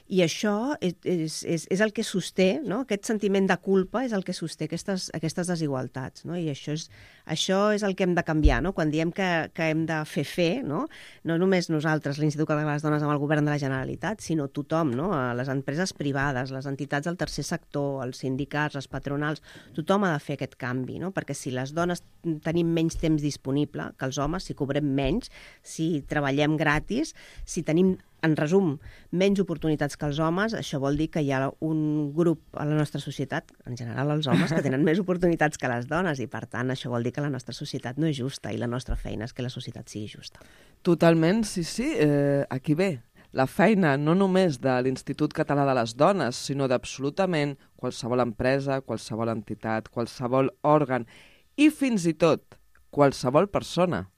[SPEAKER 3] I això és, és, és, és el que sosté, no? Aquest sentiment de culpa és el que sosté aquestes, aquestes desigualtats, no? I això és, això és el que hem de canviar, no? Quan diem que, que hem de fer fer, no? No només nosaltres, l'Institut Català de les Dones amb el govern de la Generalitat, sinó tothom, no? Les empreses privades, les entitats del tercer sector, els sindicats, les patronals, tothom ha de fer aquest canvi, no? Perquè si les dones tenim menys temps disponible que els homes, si cobrem menys, si treballem gratis, si tenim, en resum, menys oportunitats que els homes, això vol dir que hi ha un grup a la nostra societat, en general els homes, que tenen més oportunitats que les dones i, per tant, això vol dir que la nostra societat no és justa i la nostra feina és que la societat sigui justa.
[SPEAKER 2] Totalment, sí, sí. Eh, aquí ve la feina no només de l'Institut Català de les Dones, sinó d'absolutament qualsevol empresa, qualsevol entitat, qualsevol òrgan i fins i tot qualsevol persona.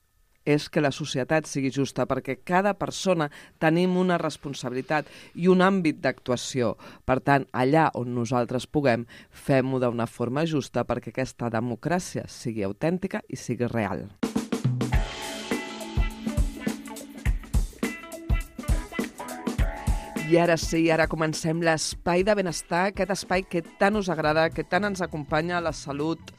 [SPEAKER 2] És que la societat sigui justa, perquè cada persona tenim una responsabilitat i un àmbit d'actuació. Per tant, allà on nosaltres puguem, fem-ho d'una forma justa perquè aquesta democràcia sigui autèntica i sigui real. I ara sí, ara comencem l'espai de benestar, aquest espai que tant us agrada, que tant ens acompanya a la salut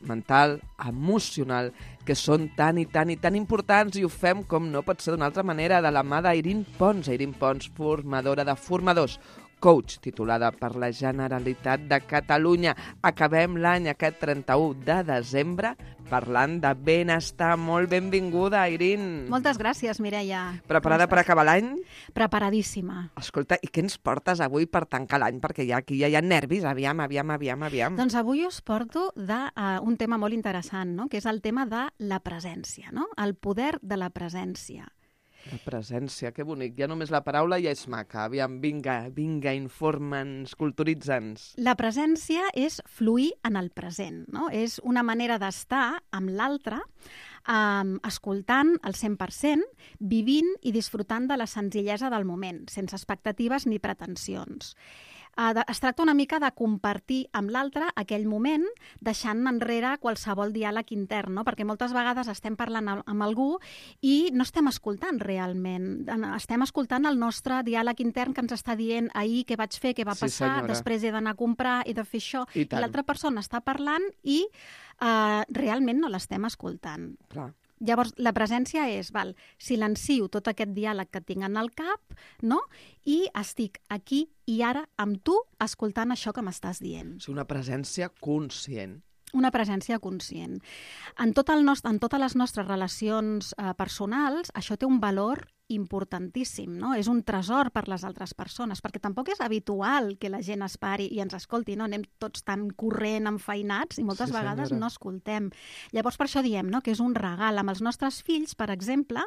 [SPEAKER 2] mental, emocional, que són tan i tan i tan importants, i ho fem, com no pot ser d'una altra manera, de la mà d'Irín Pons. Irín Pons, formadora de formadors, coach titulada per la Generalitat de Catalunya. Acabem l'any aquest trenta-u de desembre parlant de benestar. Molt benvinguda, Irín.
[SPEAKER 4] Moltes gràcies, Mireia.
[SPEAKER 2] Preparada per acabar l'any?
[SPEAKER 4] Preparadíssima.
[SPEAKER 2] Escolta, i què ens portes avui per tancar l'any? Perquè ja aquí ja hi ha nervis. Aviam, aviam, aviam, aviam.
[SPEAKER 4] Doncs avui us porto de, uh, un tema molt interessant, no? Que és el tema de la presència, no? El poder de la presència.
[SPEAKER 2] La presència, que bonic. Ja només la paraula ja és maca. Aviam, vinga, vinga, informa'ns, culturitza'ns.
[SPEAKER 4] La presència és fluir en el present, no? És una manera d'estar amb l'altre, um, escoltant al cent per cent, vivint i disfrutant de la senzillesa del moment, sense expectatives ni pretensions. Uh, de, es tracta una mica de compartir amb l'altre aquell moment, deixant enrere qualsevol diàleg intern, no? Perquè moltes vegades estem parlant amb algú i no estem escoltant realment. Estem escoltant el nostre diàleg intern que ens està dient ahir què vaig fer, què va
[SPEAKER 2] sí,
[SPEAKER 4] passar,
[SPEAKER 2] senyora.
[SPEAKER 4] Després he d'anar a comprar, he de fer això.
[SPEAKER 2] I,
[SPEAKER 4] I l'altra persona està parlant i uh, realment no l'estem escoltant.
[SPEAKER 2] Clar.
[SPEAKER 4] Llavors, la presència és, val, silencio tot aquest diàleg que tinc en el cap, no? I estic aquí i ara amb tu escoltant això que m'estàs dient.
[SPEAKER 2] És una presència conscient.
[SPEAKER 4] Una presència conscient. En, tot el nostre, en totes les nostres relacions eh, personals, això té un valor importantíssim, no? És un tresor per les altres persones, perquè tampoc és habitual que la gent es pari i ens escolti, no? Anem tots tan corrent, enfeinats, i moltes
[SPEAKER 2] sí,
[SPEAKER 4] vegades
[SPEAKER 2] senyora.
[SPEAKER 4] no escoltem. Llavors, per això diem, no?, que és un regal. Amb els nostres fills, per exemple,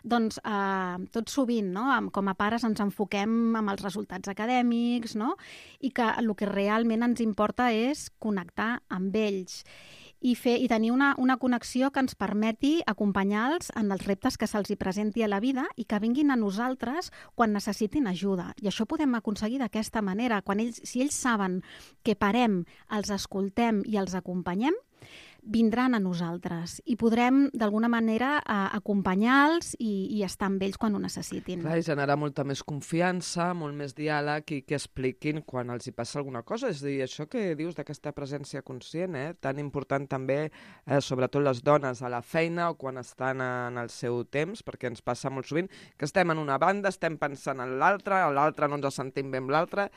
[SPEAKER 4] doncs, eh, tot sovint, no?, com a pares ens enfoquem amb els resultats acadèmics, no?, i que el que realment ens importa és connectar amb ells. I, fer, i tenir una, una connexió que ens permeti acompanyar-los en els reptes que se'ls hi presenti a la vida i que vinguin a nosaltres quan necessitin ajuda. I això ho podem aconseguir d'aquesta manera. Quan ells, si ells saben que parem, els escoltem i els acompanyem, vindran a nosaltres i podrem, d'alguna manera, acompanyar-los i, i estar amb ells quan ho necessitin.
[SPEAKER 2] Clar, i generar molta més confiança, molt més diàleg i que expliquin quan els hi passa alguna cosa. És a dir, això que dius d'aquesta presència conscient, eh? Tan important també, eh, sobretot les dones a la feina o quan estan en el seu temps, perquè ens passa molt sovint que estem en una banda, estem pensant en l'altra, a l'altra no ens sentim bé amb l'altra.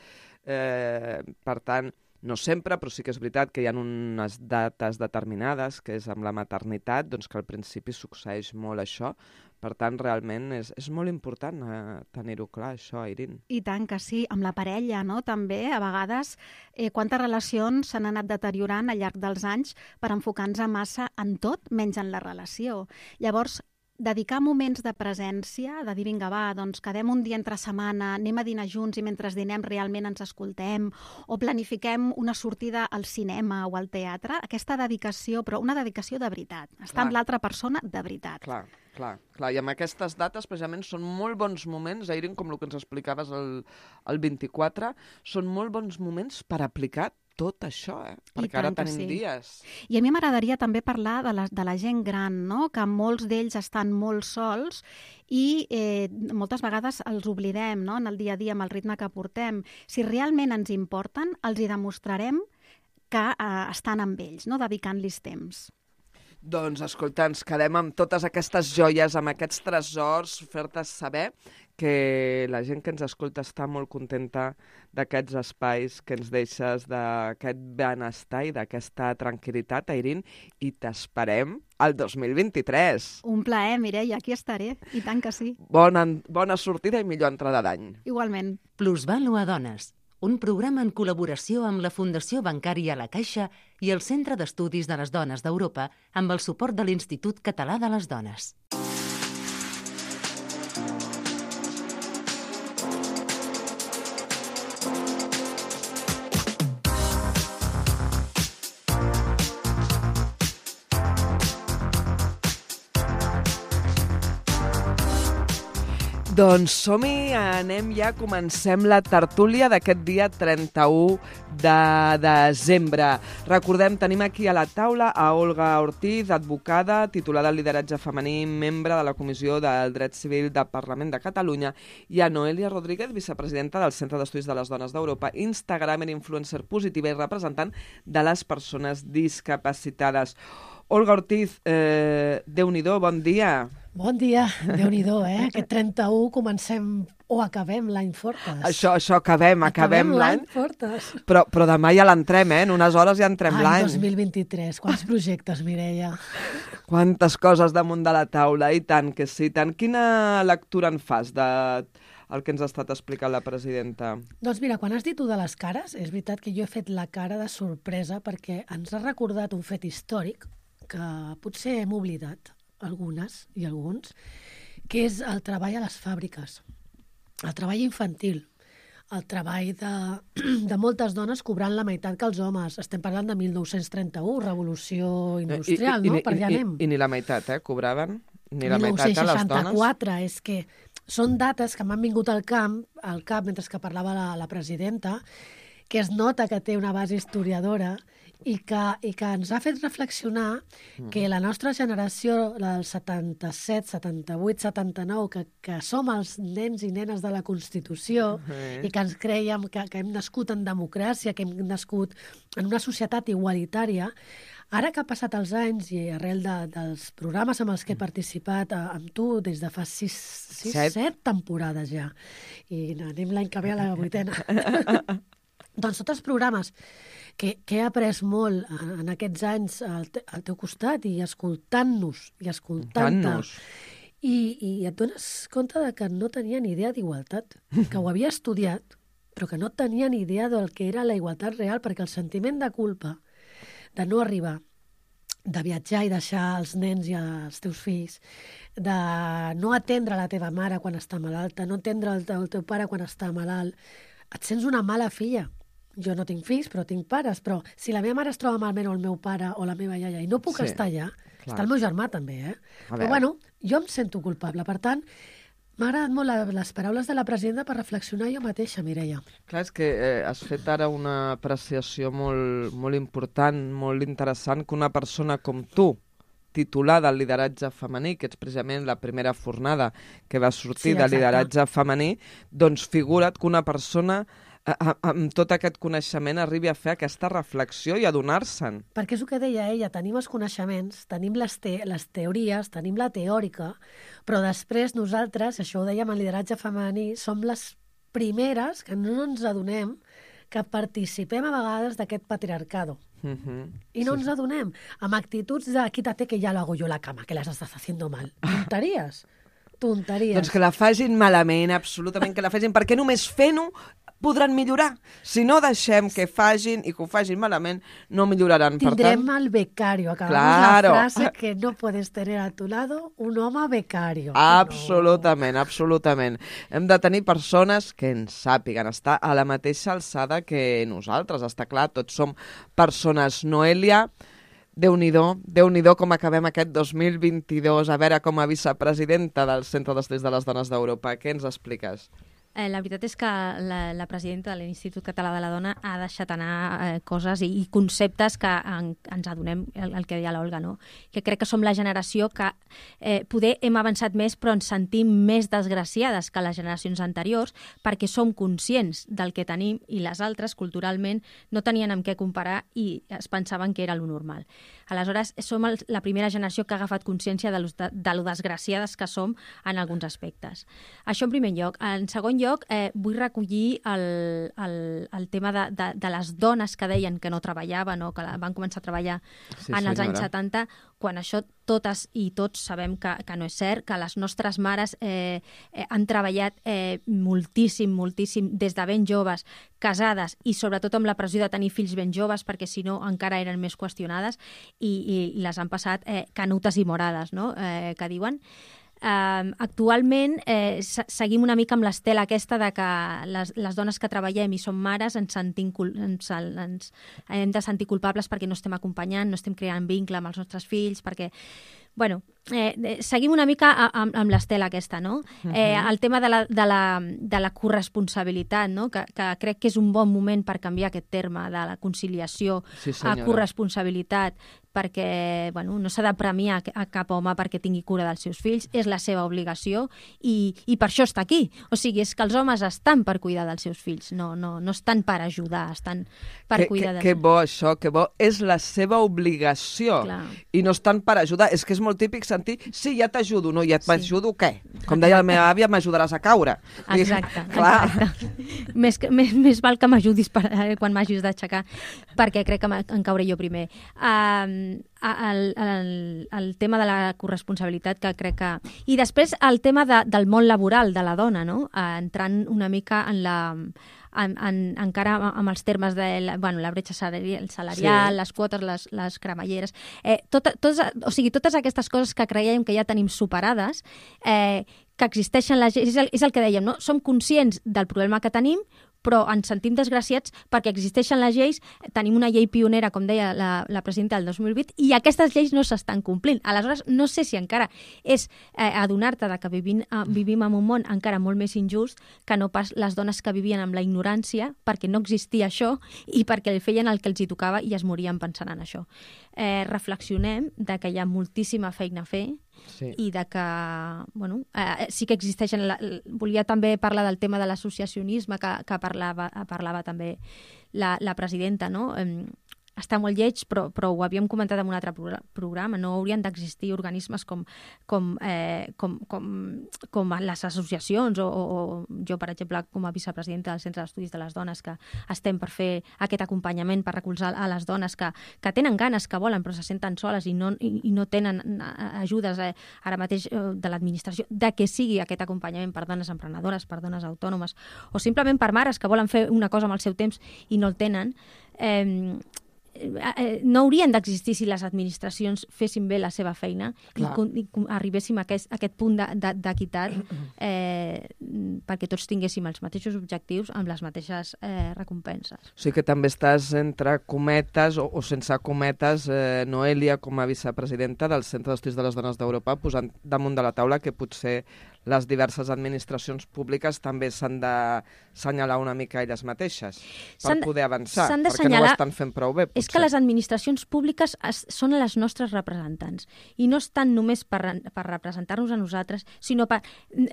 [SPEAKER 2] Eh, per tant, no sempre, però sí que és veritat que hi ha unes dates determinades, que és amb la maternitat, doncs que al principi succeeix molt això. Per tant, realment és, és molt important eh, tenir-ho clar, això, Irín.
[SPEAKER 4] I tant que sí, amb la parella, no?, també, a vegades, eh, quantes relacions s'han anat deteriorant al llarg dels anys per enfocar-nos massa en tot, menys en la relació. Llavors, dedicar moments de presència, de dir, vinga, va, doncs quedem un dia entre setmana, anem a dinar junts i mentre dinem realment ens escoltem, o planifiquem una sortida al cinema o al teatre, aquesta dedicació, però una dedicació de veritat, estar
[SPEAKER 2] Clar.
[SPEAKER 4] amb l'altra persona de veritat.
[SPEAKER 2] Clar, clar, clar. I amb aquestes dates, precisament, són molt bons moments, Irín, com el que ens explicaves el, el vint-i-quatre, són molt bons moments per aplicar tot això, eh?
[SPEAKER 4] I
[SPEAKER 2] Perquè ara
[SPEAKER 4] tant que
[SPEAKER 2] tenim
[SPEAKER 4] sí.
[SPEAKER 2] dies.
[SPEAKER 4] I a mi m'agradaria també parlar de la, de la gent gran, no? Que molts d'ells estan molt sols i eh, moltes vegades els oblidem, no? En el dia a dia, amb el ritme que portem. Si realment ens importen, els hi demostrarem que eh, estan amb ells, no? Dedicant-los temps.
[SPEAKER 2] Doncs, escolta, ens quedem amb totes aquestes joies, amb aquests tresors, fer-te saber que la gent que ens escolta està molt contenta d'aquests espais que ens deixes, d'aquest benestar i d'aquesta tranquil·litat, Airín, i t'esperem el dos mil vint-i-tres.
[SPEAKER 4] Un plaer, Mireia, aquí estaré, i tant que sí.
[SPEAKER 2] Bona, bona sortida i millor entrada d'any.
[SPEAKER 4] Igualment.
[SPEAKER 1] Plusvàlua Dones, un programa en col·laboració amb la Fundació Bancària La Caixa i el Centre d'Estudis de les Dones d'Europa amb el suport de l'Institut Català de les Dones.
[SPEAKER 2] Doncs som-hi, anem ja, comencem la tertúlia d'aquest dia trenta-u de desembre. Recordem, tenim aquí a la taula a Olga Ortiz, advocada, titulada en lideratge femení, membre de la Comissió del Dret Civil del Parlament de Catalunya, i a Noelia Rodríguez, vicepresidenta del Centre d'Estudis de les Dones d'Europa, instagramer, influencer positiva i representant de les persones discapacitades. Olga Ortiz, eh, Déu-n'hi-do, bon dia.
[SPEAKER 5] Bon dia, Déu-n'hi-do, eh? Aquest trenta-u comencem o acabem l'any Fortes.
[SPEAKER 2] Això, això, acabem, acabem,
[SPEAKER 5] acabem
[SPEAKER 2] l'any.
[SPEAKER 5] l'any Fortes.
[SPEAKER 2] Però, però demà ja l'entrem, eh? En unes hores ja entrem
[SPEAKER 5] Any
[SPEAKER 2] l'any.
[SPEAKER 5] dos mil vint-i-tres, quants projectes, Mireia?
[SPEAKER 2] Quantes coses damunt de la taula, i tant que sí, tant. Quina lectura en fas de el que ens ha estat explicant la presidenta?
[SPEAKER 5] Doncs mira, quan has dit tu de les cares, és veritat que jo he fet la cara de sorpresa perquè ens ha recordat un fet històric que potser hem oblidat, algunes i alguns, que és el treball a les fàbriques, el treball infantil, el treball de, de moltes dones cobrant la meitat que els homes. Estem parlant de mil nou-cents trenta-u, revolució industrial,
[SPEAKER 2] I, i,
[SPEAKER 5] no? Per allà
[SPEAKER 2] i,
[SPEAKER 5] anem.
[SPEAKER 2] I, I ni la meitat, eh? Cobraven? Ni la meitat a les dones?
[SPEAKER 5] mil nou-cents seixanta-quatre, és que són dates que m'han vingut al camp, al cap mentre que parlava la, la presidenta, que es nota que té una base historiadora i que, i que ens ha fet reflexionar que la nostra generació, la del setanta-set, setanta-vuit, setanta-nou, que, que som els nens i nenes de la Constitució
[SPEAKER 2] Uh-huh.
[SPEAKER 5] i que ens creiem que, que hem nascut en democràcia, que hem nascut en una societat igualitària, ara que ha passat els anys i arrel de, dels programes amb els que he participat a, amb tu des de fa sis, sis
[SPEAKER 2] Set.
[SPEAKER 5] set temporades ja, i anem l'any que ve a la vuitena, doncs tots els programes que, que he après molt en, en aquests anys al, te, al teu costat i escoltant-nos i escoltant-te, i, i et dones compte de que no tenia ni idea d'igualtat, que ho havia estudiat, però que no tenia ni idea del que era la igualtat real, perquè el sentiment de culpa de no arribar, de viatjar i deixar els nens i els teus fills, de no atendre la teva mare quan està malalta, no atendre el teu, el teu pare quan està malalt, et sents una mala filla. Jo no tinc fills, però tinc pares, però si la meva mare es troba malament o el meu pare o la meva iaia i no puc
[SPEAKER 2] Sí,
[SPEAKER 5] estar allà,
[SPEAKER 2] clar.
[SPEAKER 5] està el meu germà també, eh?
[SPEAKER 2] A
[SPEAKER 5] Però
[SPEAKER 2] veure.
[SPEAKER 5] bueno, jo em sento culpable. Per tant, m'ha agradat molt la, les paraules de la presidenta per reflexionar jo mateixa, Mireia.
[SPEAKER 2] Clar, és que eh, has fet ara una apreciació molt, molt important, molt interessant, que una persona com tu, titular del lideratge femení, que ets precisament la primera fornada que va sortir
[SPEAKER 5] Sí,
[SPEAKER 2] de
[SPEAKER 5] exacte.
[SPEAKER 2] lideratge femení, doncs figura't que una persona a, a, amb tot aquest coneixement arribi a fer aquesta reflexió i adonar-se'n.
[SPEAKER 5] Perquè és el que deia ella, tenim els coneixements, tenim les, te les teories, tenim la teòrica, però després nosaltres, això ho dèiem en lideratge femení, som les primeres que no ens adonem que participem a vegades d'aquest patriarcado.
[SPEAKER 2] Uh -huh.
[SPEAKER 5] I no sí. ens adonem, amb actituds de quítate que ya lo hago yo la cama, que las estás haciendo mal. Tonteries. Tonteries.
[SPEAKER 2] Doncs que la facin malament, absolutament que la facin, perquè només fent-ho podran millorar. Si no deixem que facin i que ho facin malament, no milloraran.
[SPEAKER 5] Tindrem
[SPEAKER 2] per tant...
[SPEAKER 5] el becario. Acabamos
[SPEAKER 2] Claro.
[SPEAKER 5] la frase que no puedes tener a tu lado un home becario.
[SPEAKER 2] Absolutament, no. absolutament. Hem de tenir persones que ens sàpiguen estar a la mateixa alçada que nosaltres. Està clar, tots som persones. Noelia, Déu-n'hi-do, Déu-n'hi-do com acabem aquest dos mil vint-i-dos. A veure, com a vicepresidenta del Centre d'Estudis de les Dones d'Europa, què ens expliques?
[SPEAKER 6] eh, la veritat és que la, la presidenta de l'Institut Català de la Dona ha deixat anar eh, coses i, i conceptes que en, ens adonem, el, el que deia l'Olga, no? Que crec que som la generació que eh, poder hem avançat més però ens sentim més desgraciades que les generacions anteriors perquè som conscients del que tenim i les altres, culturalment, no tenien amb què comparar i es pensaven que era lo normal. Aleshores, som el, la primera generació que ha agafat consciència de lo, de, de lo desgraciades que som en alguns aspectes. Això en primer lloc. En segon lloc, eh, vull recollir el, el, el tema de, de, de les dones que deien que no treballaven o que van començar a treballar sí, en els senyora. anys setanta, quan això totes i tots sabem que, que no és cert, que les nostres mares eh, eh, han treballat eh, moltíssim, moltíssim, des de ben joves, casades i sobretot amb la pressió de tenir fills ben joves, perquè si no encara eren més qüestionades i, i les han passat eh, canutes i morades, no? eh, que diuen. Uh, actualment eh, seguim una mica amb l'estela aquesta de que les, les dones que treballem i som mares ens, sentim, ens, ens hem de sentir culpables perquè no estem acompanyant, no estem creant vincle amb els nostres fills, perquè bueno, eh, seguim una mica amb, amb l'estela aquesta, no? Uh-huh. Eh, el tema de la, de la, de la corresponsabilitat, no? Que, que crec que és un bon moment per canviar aquest terme de la conciliació sí, a corresponsabilitat, perquè bueno, no s'ha de premiar a cap home perquè tingui cura dels seus fills, és la seva obligació i, i per això està aquí. O sigui, és que els homes estan per cuidar dels seus fills, no, no, no estan per ajudar, estan per
[SPEAKER 2] que,
[SPEAKER 6] cuidar
[SPEAKER 2] que,
[SPEAKER 6] dels
[SPEAKER 2] que bo això, que bo. És la seva obligació. Clar. I no estan per ajudar. És que és molt típic sentir, sí, ja t'ajudo, no, ja t'ajudo sí. què? Com deia la meva àvia, m'ajudaràs a caure.
[SPEAKER 6] Exacte,
[SPEAKER 2] clar.
[SPEAKER 6] exacte. Més, que, més, més val que m'ajudis per, eh, quan m'hagis d'aixecar, perquè crec que en cauré jo primer. Um, El, el, el tema de la corresponsabilitat que crec que... I després el tema de, del món laboral de la dona, no? Eh, entrant una mica en la... En, en, encara amb els termes de la, bueno, la bretxa salarial, salarial sí. les quotes, les, les cremalleres, eh, tot, tots, o sigui, totes aquestes coses que creiem que ja tenim superades, eh, que existeixen les lleis, és el, és el que dèiem, no? Som conscients del problema que tenim, però ens sentim desgraciats perquè existeixen les lleis, tenim una llei pionera, com deia la, la presidenta del dos mil vuit, i aquestes lleis no s'estan complint. Aleshores, no sé si encara és eh, adonar-te que vivim, eh, vivim en un món encara molt més injust que no pas les dones que vivien amb la ignorància, perquè no existia això i perquè feien el que els hi tocava i es morien pensant en això. Eh, reflexionem de que hi ha moltíssima feina a fer, sí. i de que, bueno, eh, sí que existeixen... La, volia també parlar del tema de l'associacionisme que, que parlava, parlava també la, la presidenta, no? Eh, està molt lleig, però, però ho havíem comentat en un altre programa, no haurien d'existir organismes com, com, eh, com, com, com les associacions o, o jo, per exemple, com a vicepresidenta del Centre d'Estudis de les Dones, que estem per fer aquest acompanyament per recolzar a les dones que, que tenen ganes, que volen, però se senten soles i no, i, i no tenen ajudes eh, ara mateix eh, de l'administració, de que sigui aquest acompanyament per dones emprenedores, per dones autònomes, o simplement per mares que volen fer una cosa amb el seu temps i no el tenen. Eh, no haurien d'existir si les administracions fessin bé la seva feina i, i arribéssim a aquest, a aquest punt d'equitat eh, perquè tots tinguéssim els mateixos objectius amb les mateixes eh, recompenses.
[SPEAKER 2] O sigui que també estàs entre cometes o, o sense cometes, eh, Noelia, com a vicepresidenta del Centre d'Estudis de les Dones d'Europa, posant damunt de la taula que potser les diverses administracions públiques també s'han d'assenyalar una mica elles mateixes per poder avançar, perquè no ho estan fent prou bé. Potser.
[SPEAKER 6] És que les administracions públiques es, són les nostres representants i no estan només per, per representar-nos a nosaltres, sinó per,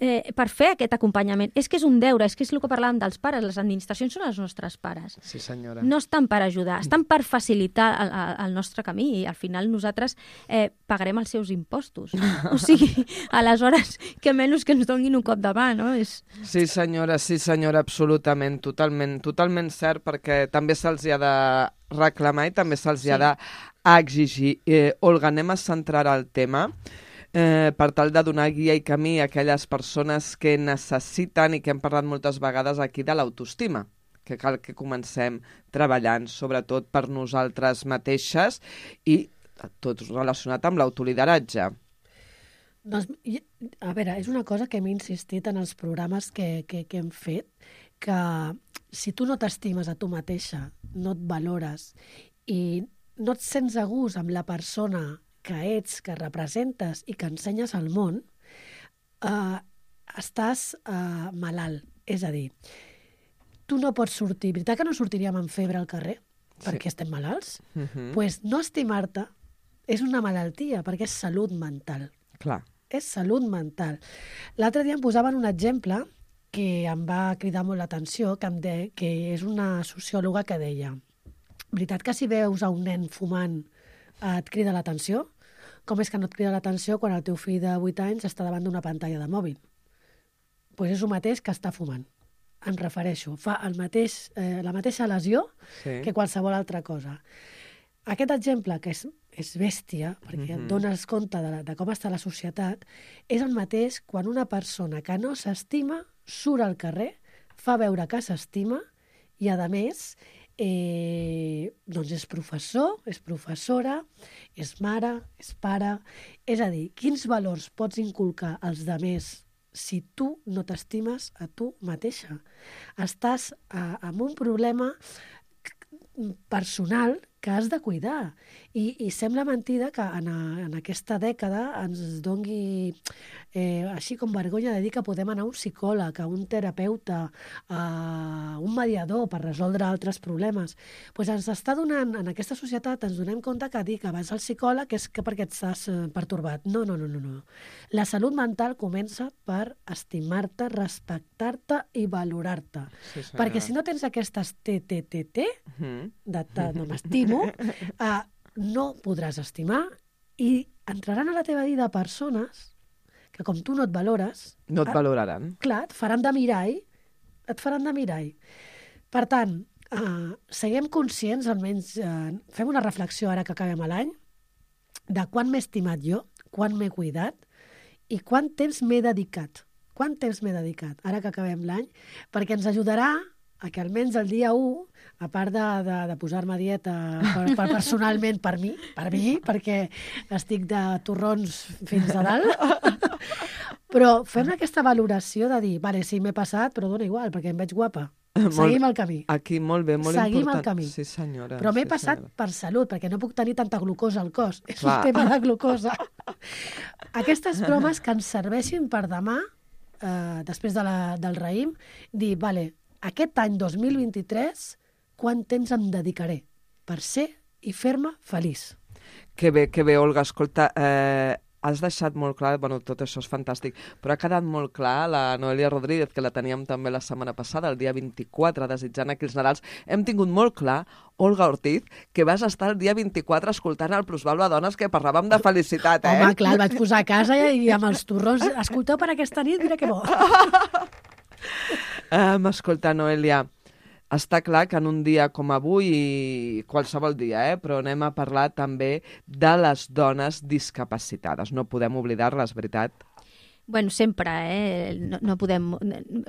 [SPEAKER 6] eh, per fer aquest acompanyament. És que és un deure, és que és el que parlàvem dels pares, les administracions són els nostres pares.
[SPEAKER 2] Sí, senyora.
[SPEAKER 6] No estan per ajudar, estan per facilitar el, el nostre camí i al final nosaltres eh, pagarem els seus impostos. O sigui, aleshores, que menys que ens donin un cop de mà, no? És...
[SPEAKER 2] Sí, senyora, sí, senyora, absolutament, totalment, totalment cert, perquè també se'ls ha de reclamar i també se'ls sí. ha d'exigir. Eh, Olga, anem a centrar el tema eh, per tal de donar guia i camí a aquelles persones que necessiten i que hem parlat moltes vegades aquí de l'autoestima, que cal que comencem treballant, sobretot per nosaltres mateixes i tot relacionat amb l'autolideratge.
[SPEAKER 5] Doncs, a veure, és una cosa que hem insistit en els programes que, que, que hem fet, que si tu no t'estimes a tu mateixa, no et valores i no et sents a gust amb la persona que ets, que representes i que ensenyes al món, eh, estàs eh, malalt, És a dir, tu no pots sortir... Veritat que no sortiríem amb febre al carrer perquè estem malalts? Doncs uh-huh. pues no estimar-te és una malaltia, perquè és salut mental.
[SPEAKER 2] Clar.
[SPEAKER 5] És salut mental. L'altre dia em posaven un exemple que em va cridar molt l'atenció, que, em de, que és una sociòloga que deia: veritat que si veus a un nen fumant et crida l'atenció? Com és que no et crida l'atenció quan el teu fill de vuit anys està davant d'una pantalla de mòbil? Doncs pues és el mateix que està fumant. Em refereixo. Fa el mateix, eh, la mateixa lesió sí. que qualsevol altra cosa. Aquest exemple, que és, és bèstia, perquè mm-hmm. et dones compte de, la, de com està la societat, és el mateix quan una persona que no s'estima surt al carrer, fa veure que s'estima i, a més, eh, doncs és professor, és professora, és mare, és pare... És a dir, quins valors pots inculcar als demés si tu no t'estimes a tu mateixa? Estàs a, amb un problema personal que has de cuidar. I, i sembla mentida que en, a, en aquesta dècada ens dongui eh, així com vergonya de dir que podem anar a un psicòleg, a un terapeuta, a un mediador per resoldre altres problemes. Pues ens està donant, en aquesta societat ens donem compte que dir que vas al psicòleg és que perquè estàs eh, pertorbat. No, no, no, no, no. La salut mental comença per estimar-te, respectar-te i valorar-te. Sí, perquè si no tens aquestes T T T T, mm-hmm. de, de no m'estimo, Uh, no podràs estimar i entraran a la teva vida persones que com tu no et valores...
[SPEAKER 2] No et valoraran.
[SPEAKER 5] Uh, clar, et faran de mirall, et faran de mirall. Per tant, uh, siguem conscients, almenys uh, fem una reflexió ara que acabem l'any, de quan m'he estimat jo, quan m'he cuidat i quant temps m'he dedicat. Quant temps m'he dedicat, ara que acabem l'any, perquè ens ajudarà a que almenys el dia u, a part de, de, de posar-me a dieta per, per personalment per mi, per mi, perquè estic de torrons fins a dalt, però fem aquesta valoració de dir, vale, sí, m'he passat, però dona igual, perquè em veig guapa. Seguim el camí.
[SPEAKER 2] Aquí, molt bé, molt
[SPEAKER 5] Seguim
[SPEAKER 2] important.
[SPEAKER 5] el camí.
[SPEAKER 2] Sí, senyora.
[SPEAKER 5] Però m'he
[SPEAKER 2] sí,
[SPEAKER 5] passat
[SPEAKER 2] senyora.
[SPEAKER 5] per salut, perquè no puc tenir tanta glucosa al cos. És
[SPEAKER 2] Clar.
[SPEAKER 5] un tema de glucosa. Aquestes bromes que ens serveixin per demà, eh, després de la, del raïm, dir, vale, aquest any dos mil vint-i-tres, quant temps em dedicaré per ser i fer-me feliç?
[SPEAKER 2] Que bé, que bé, Olga. Escolta, eh, has deixat molt clar, bueno, tot això és fantàstic, però ha quedat molt clar la Noelia Rodríguez, que la teníem també la setmana passada, el dia vint-i-quatre, desitjant aquí els Nadals. Hem tingut molt clar, Olga Ortiz, que vas estar el dia vint-i-quatre escoltant el Plusvalua Dones, que parlàvem de felicitat, eh?
[SPEAKER 5] Home, clar, el vaig posar a casa i amb els torrons. Escolteu per aquesta nit, mira que bo.
[SPEAKER 2] Um, escolta, Noelia, està clar que en un dia com avui, i qualsevol dia, eh, però anem a parlar també de les dones discapacitades. No podem oblidar-les, veritat?
[SPEAKER 6] Bueno, sempre, eh? No, no podem...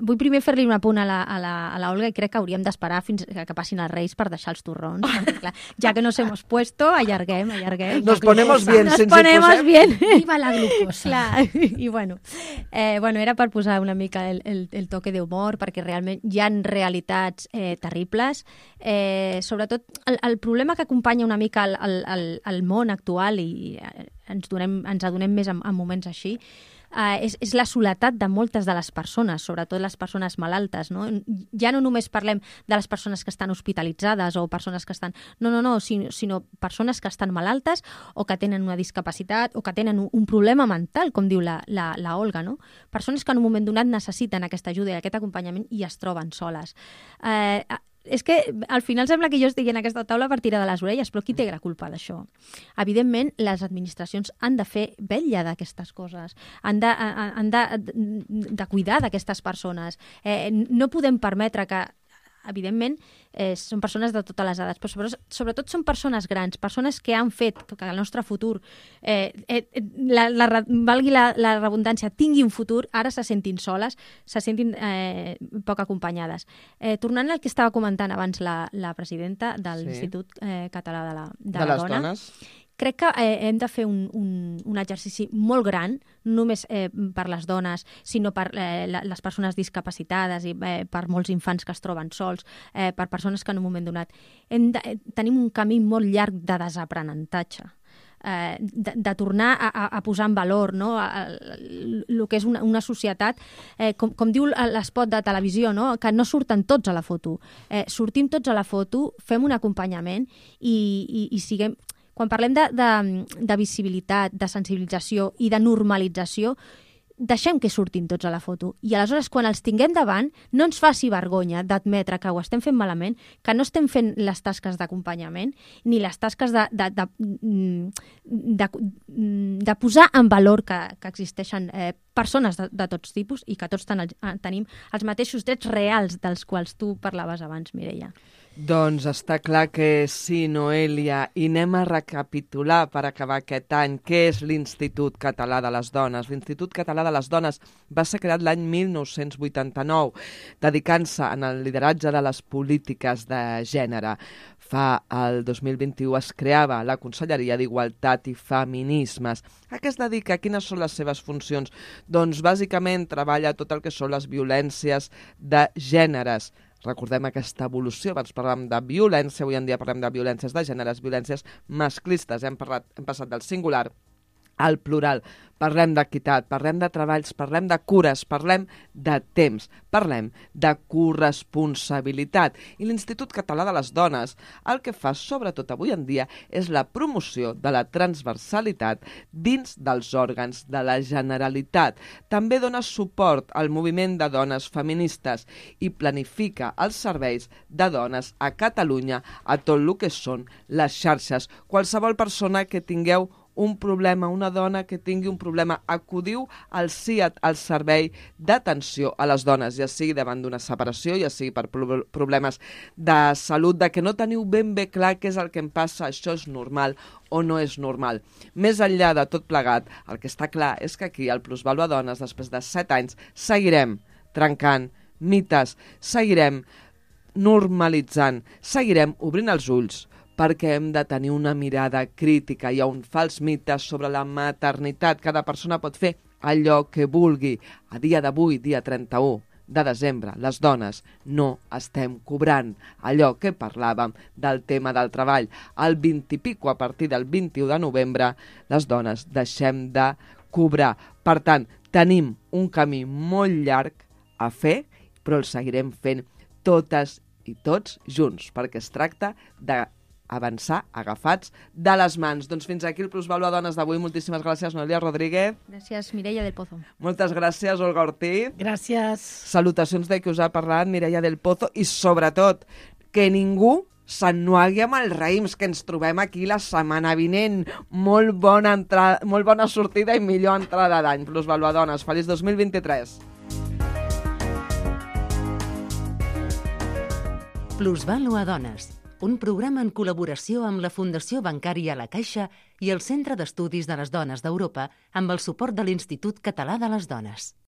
[SPEAKER 6] Vull primer fer-li un apunt a la, a, la, a la Olga i crec que hauríem d'esperar fins que passin els Reis per deixar els torrons. Perquè, clar, ja que nos hemos puesto, allarguem, allarguem.
[SPEAKER 2] Nos ponemos bien,
[SPEAKER 6] nos
[SPEAKER 2] sense
[SPEAKER 6] ponemos
[SPEAKER 2] posem.
[SPEAKER 6] bien.
[SPEAKER 5] Viva la glucosa.
[SPEAKER 6] Clar, i bueno, eh, bueno, era per posar una mica el, el, el toque d'humor, perquè realment hi ha realitats eh, terribles. Eh, sobretot, el, el problema que acompanya una mica el, el, el, el món actual, i ens, donem, ens adonem més en, en moments així, Uh, és, és la soledat de moltes de les persones, sobretot les persones malaltes, no? Ja no només parlem de les persones que estan hospitalitzades o persones que estan... No, no, no, sinó, sinó persones que estan malaltes o que tenen una discapacitat o que tenen un, un problema mental, com diu la, la, la Olga, no? Persones que en un moment donat necessiten aquesta ajuda i aquest acompanyament i es troben soles. Uh, és que al final sembla que jo estigui en aquesta taula per tirar de les orelles, però qui té la culpa d'això? Evidentment, les administracions han de fer vetlla d'aquestes coses, han de, han de, de cuidar d'aquestes persones. Eh, no podem permetre que evidentment, eh, són persones de totes les edats, però sobretot són persones grans, persones que han fet que el nostre futur, eh, eh, la, la, valgui la, la redundància, tingui un futur, ara se sentin soles, se sentin eh, poc acompanyades. Eh, tornant al que estava comentant abans la, la presidenta de l'Institut sí. eh, Català de la, de
[SPEAKER 2] de
[SPEAKER 6] la
[SPEAKER 2] les
[SPEAKER 6] Dona,
[SPEAKER 2] dones.
[SPEAKER 6] Crec que eh, hem de fer un, un, un exercici molt gran, no només eh, per les dones, sinó per eh, les persones discapacitades i eh, per molts infants que es troben sols, eh, per persones que en un moment donat... Hem de, eh, tenim un camí molt llarg de desaprenentatge. eh, de, de tornar a, a, a posar en valor, no? El que és una, una societat, eh, com, com diu l'espot de televisió, no? Que no surten tots a la foto. Eh, sortim tots a la foto, fem un acompanyament i, i, i siguem... Quan parlem de, de, de visibilitat, de sensibilització i de normalització, deixem que surtin tots a la foto. I aleshores, quan els tinguem davant, no ens faci vergonya d'admetre que ho estem fent malament, que no estem fent les tasques d'acompanyament, ni les tasques de, de, de, de, de posar en valor que, que existeixen eh, persones de, de tots tipus i que tots ten, tenim els mateixos drets reals dels quals tu parlaves abans, Mireia.
[SPEAKER 2] Doncs està clar que sí, Noelia, i anem a recapitular per acabar aquest any què és l'Institut Català de les Dones. L'Institut Català de les Dones va ser creat l'any mil nou-cents vuitanta-nou, dedicant-se en el lideratge de les polítiques de gènere. Fa el dos mil vint-i-u es creava la Conselleria d'Igualtat i Feminismes. A què es dedica? Quines són les seves funcions? Doncs bàsicament treballa tot el que són les violències de gèneres. Recordem aquesta evolució, abans parlàvem de violència, avui en dia parlem de violències de gèneres, violències masclistes. Hem, parlat, hem passat del singular al plural. Parlem d'equitat, parlem de treballs, parlem de cures, parlem de temps, parlem de corresponsabilitat. I l'Institut Català de les Dones el que fa, sobretot avui en dia, és la promoció de la transversalitat dins dels òrgans de la Generalitat. També dona suport al moviment de dones feministes i planifica els serveis de dones a Catalunya a tot el que són les xarxes. Qualsevol persona que tingueu un problema, una dona que tingui un problema, acudiu al C I A T, al Servei d'Atenció a les Dones, ja sigui davant d'una separació, ja sigui per problemes de salut, de que no teniu ben bé clar què és el que em passa, això és normal o no és normal. Més enllà de tot plegat, el que està clar és que aquí, al Plusvalua Dones, després de set anys, seguirem trencant mites, seguirem normalitzant, seguirem obrint els ulls, perquè hem de tenir una mirada crítica. Hi ha un fals mite sobre la maternitat. Cada persona pot fer allò que vulgui. A dia d'avui, dia trenta-u de desembre, les dones no estem cobrant allò que parlàvem del tema del treball. El vint i pico, a partir del vint-i-u de novembre, les dones deixem de cobrar. Per tant, tenim un camí molt llarg a fer, però el seguirem fent totes i tots junts, perquè es tracta de avançar agafats de les mans. Doncs fins aquí el Plusvalua Dones d'avui. Moltíssimes gràcies, Noelia Rodríguez.
[SPEAKER 6] Gràcies, Mireia del Pozo.
[SPEAKER 2] Moltes gràcies, Olga Ortiz.
[SPEAKER 5] Gràcies.
[SPEAKER 2] Salutacions de qui us ha parlat, Mireia del Pozo, i sobretot que ningú s'ennuegui amb els raïms, que ens trobem aquí la setmana vinent. Molt bona, entrada, molt bona sortida i millor entrada d'any. Plusvalua Dones, feliç dos mil vint-i-tres.
[SPEAKER 1] Plusvalua Dones, un programa en col·laboració amb la Fundació Bancària La Caixa i el Centre d'Estudis de les Dones d'Europa amb el suport de l'Institut Català de les Dones.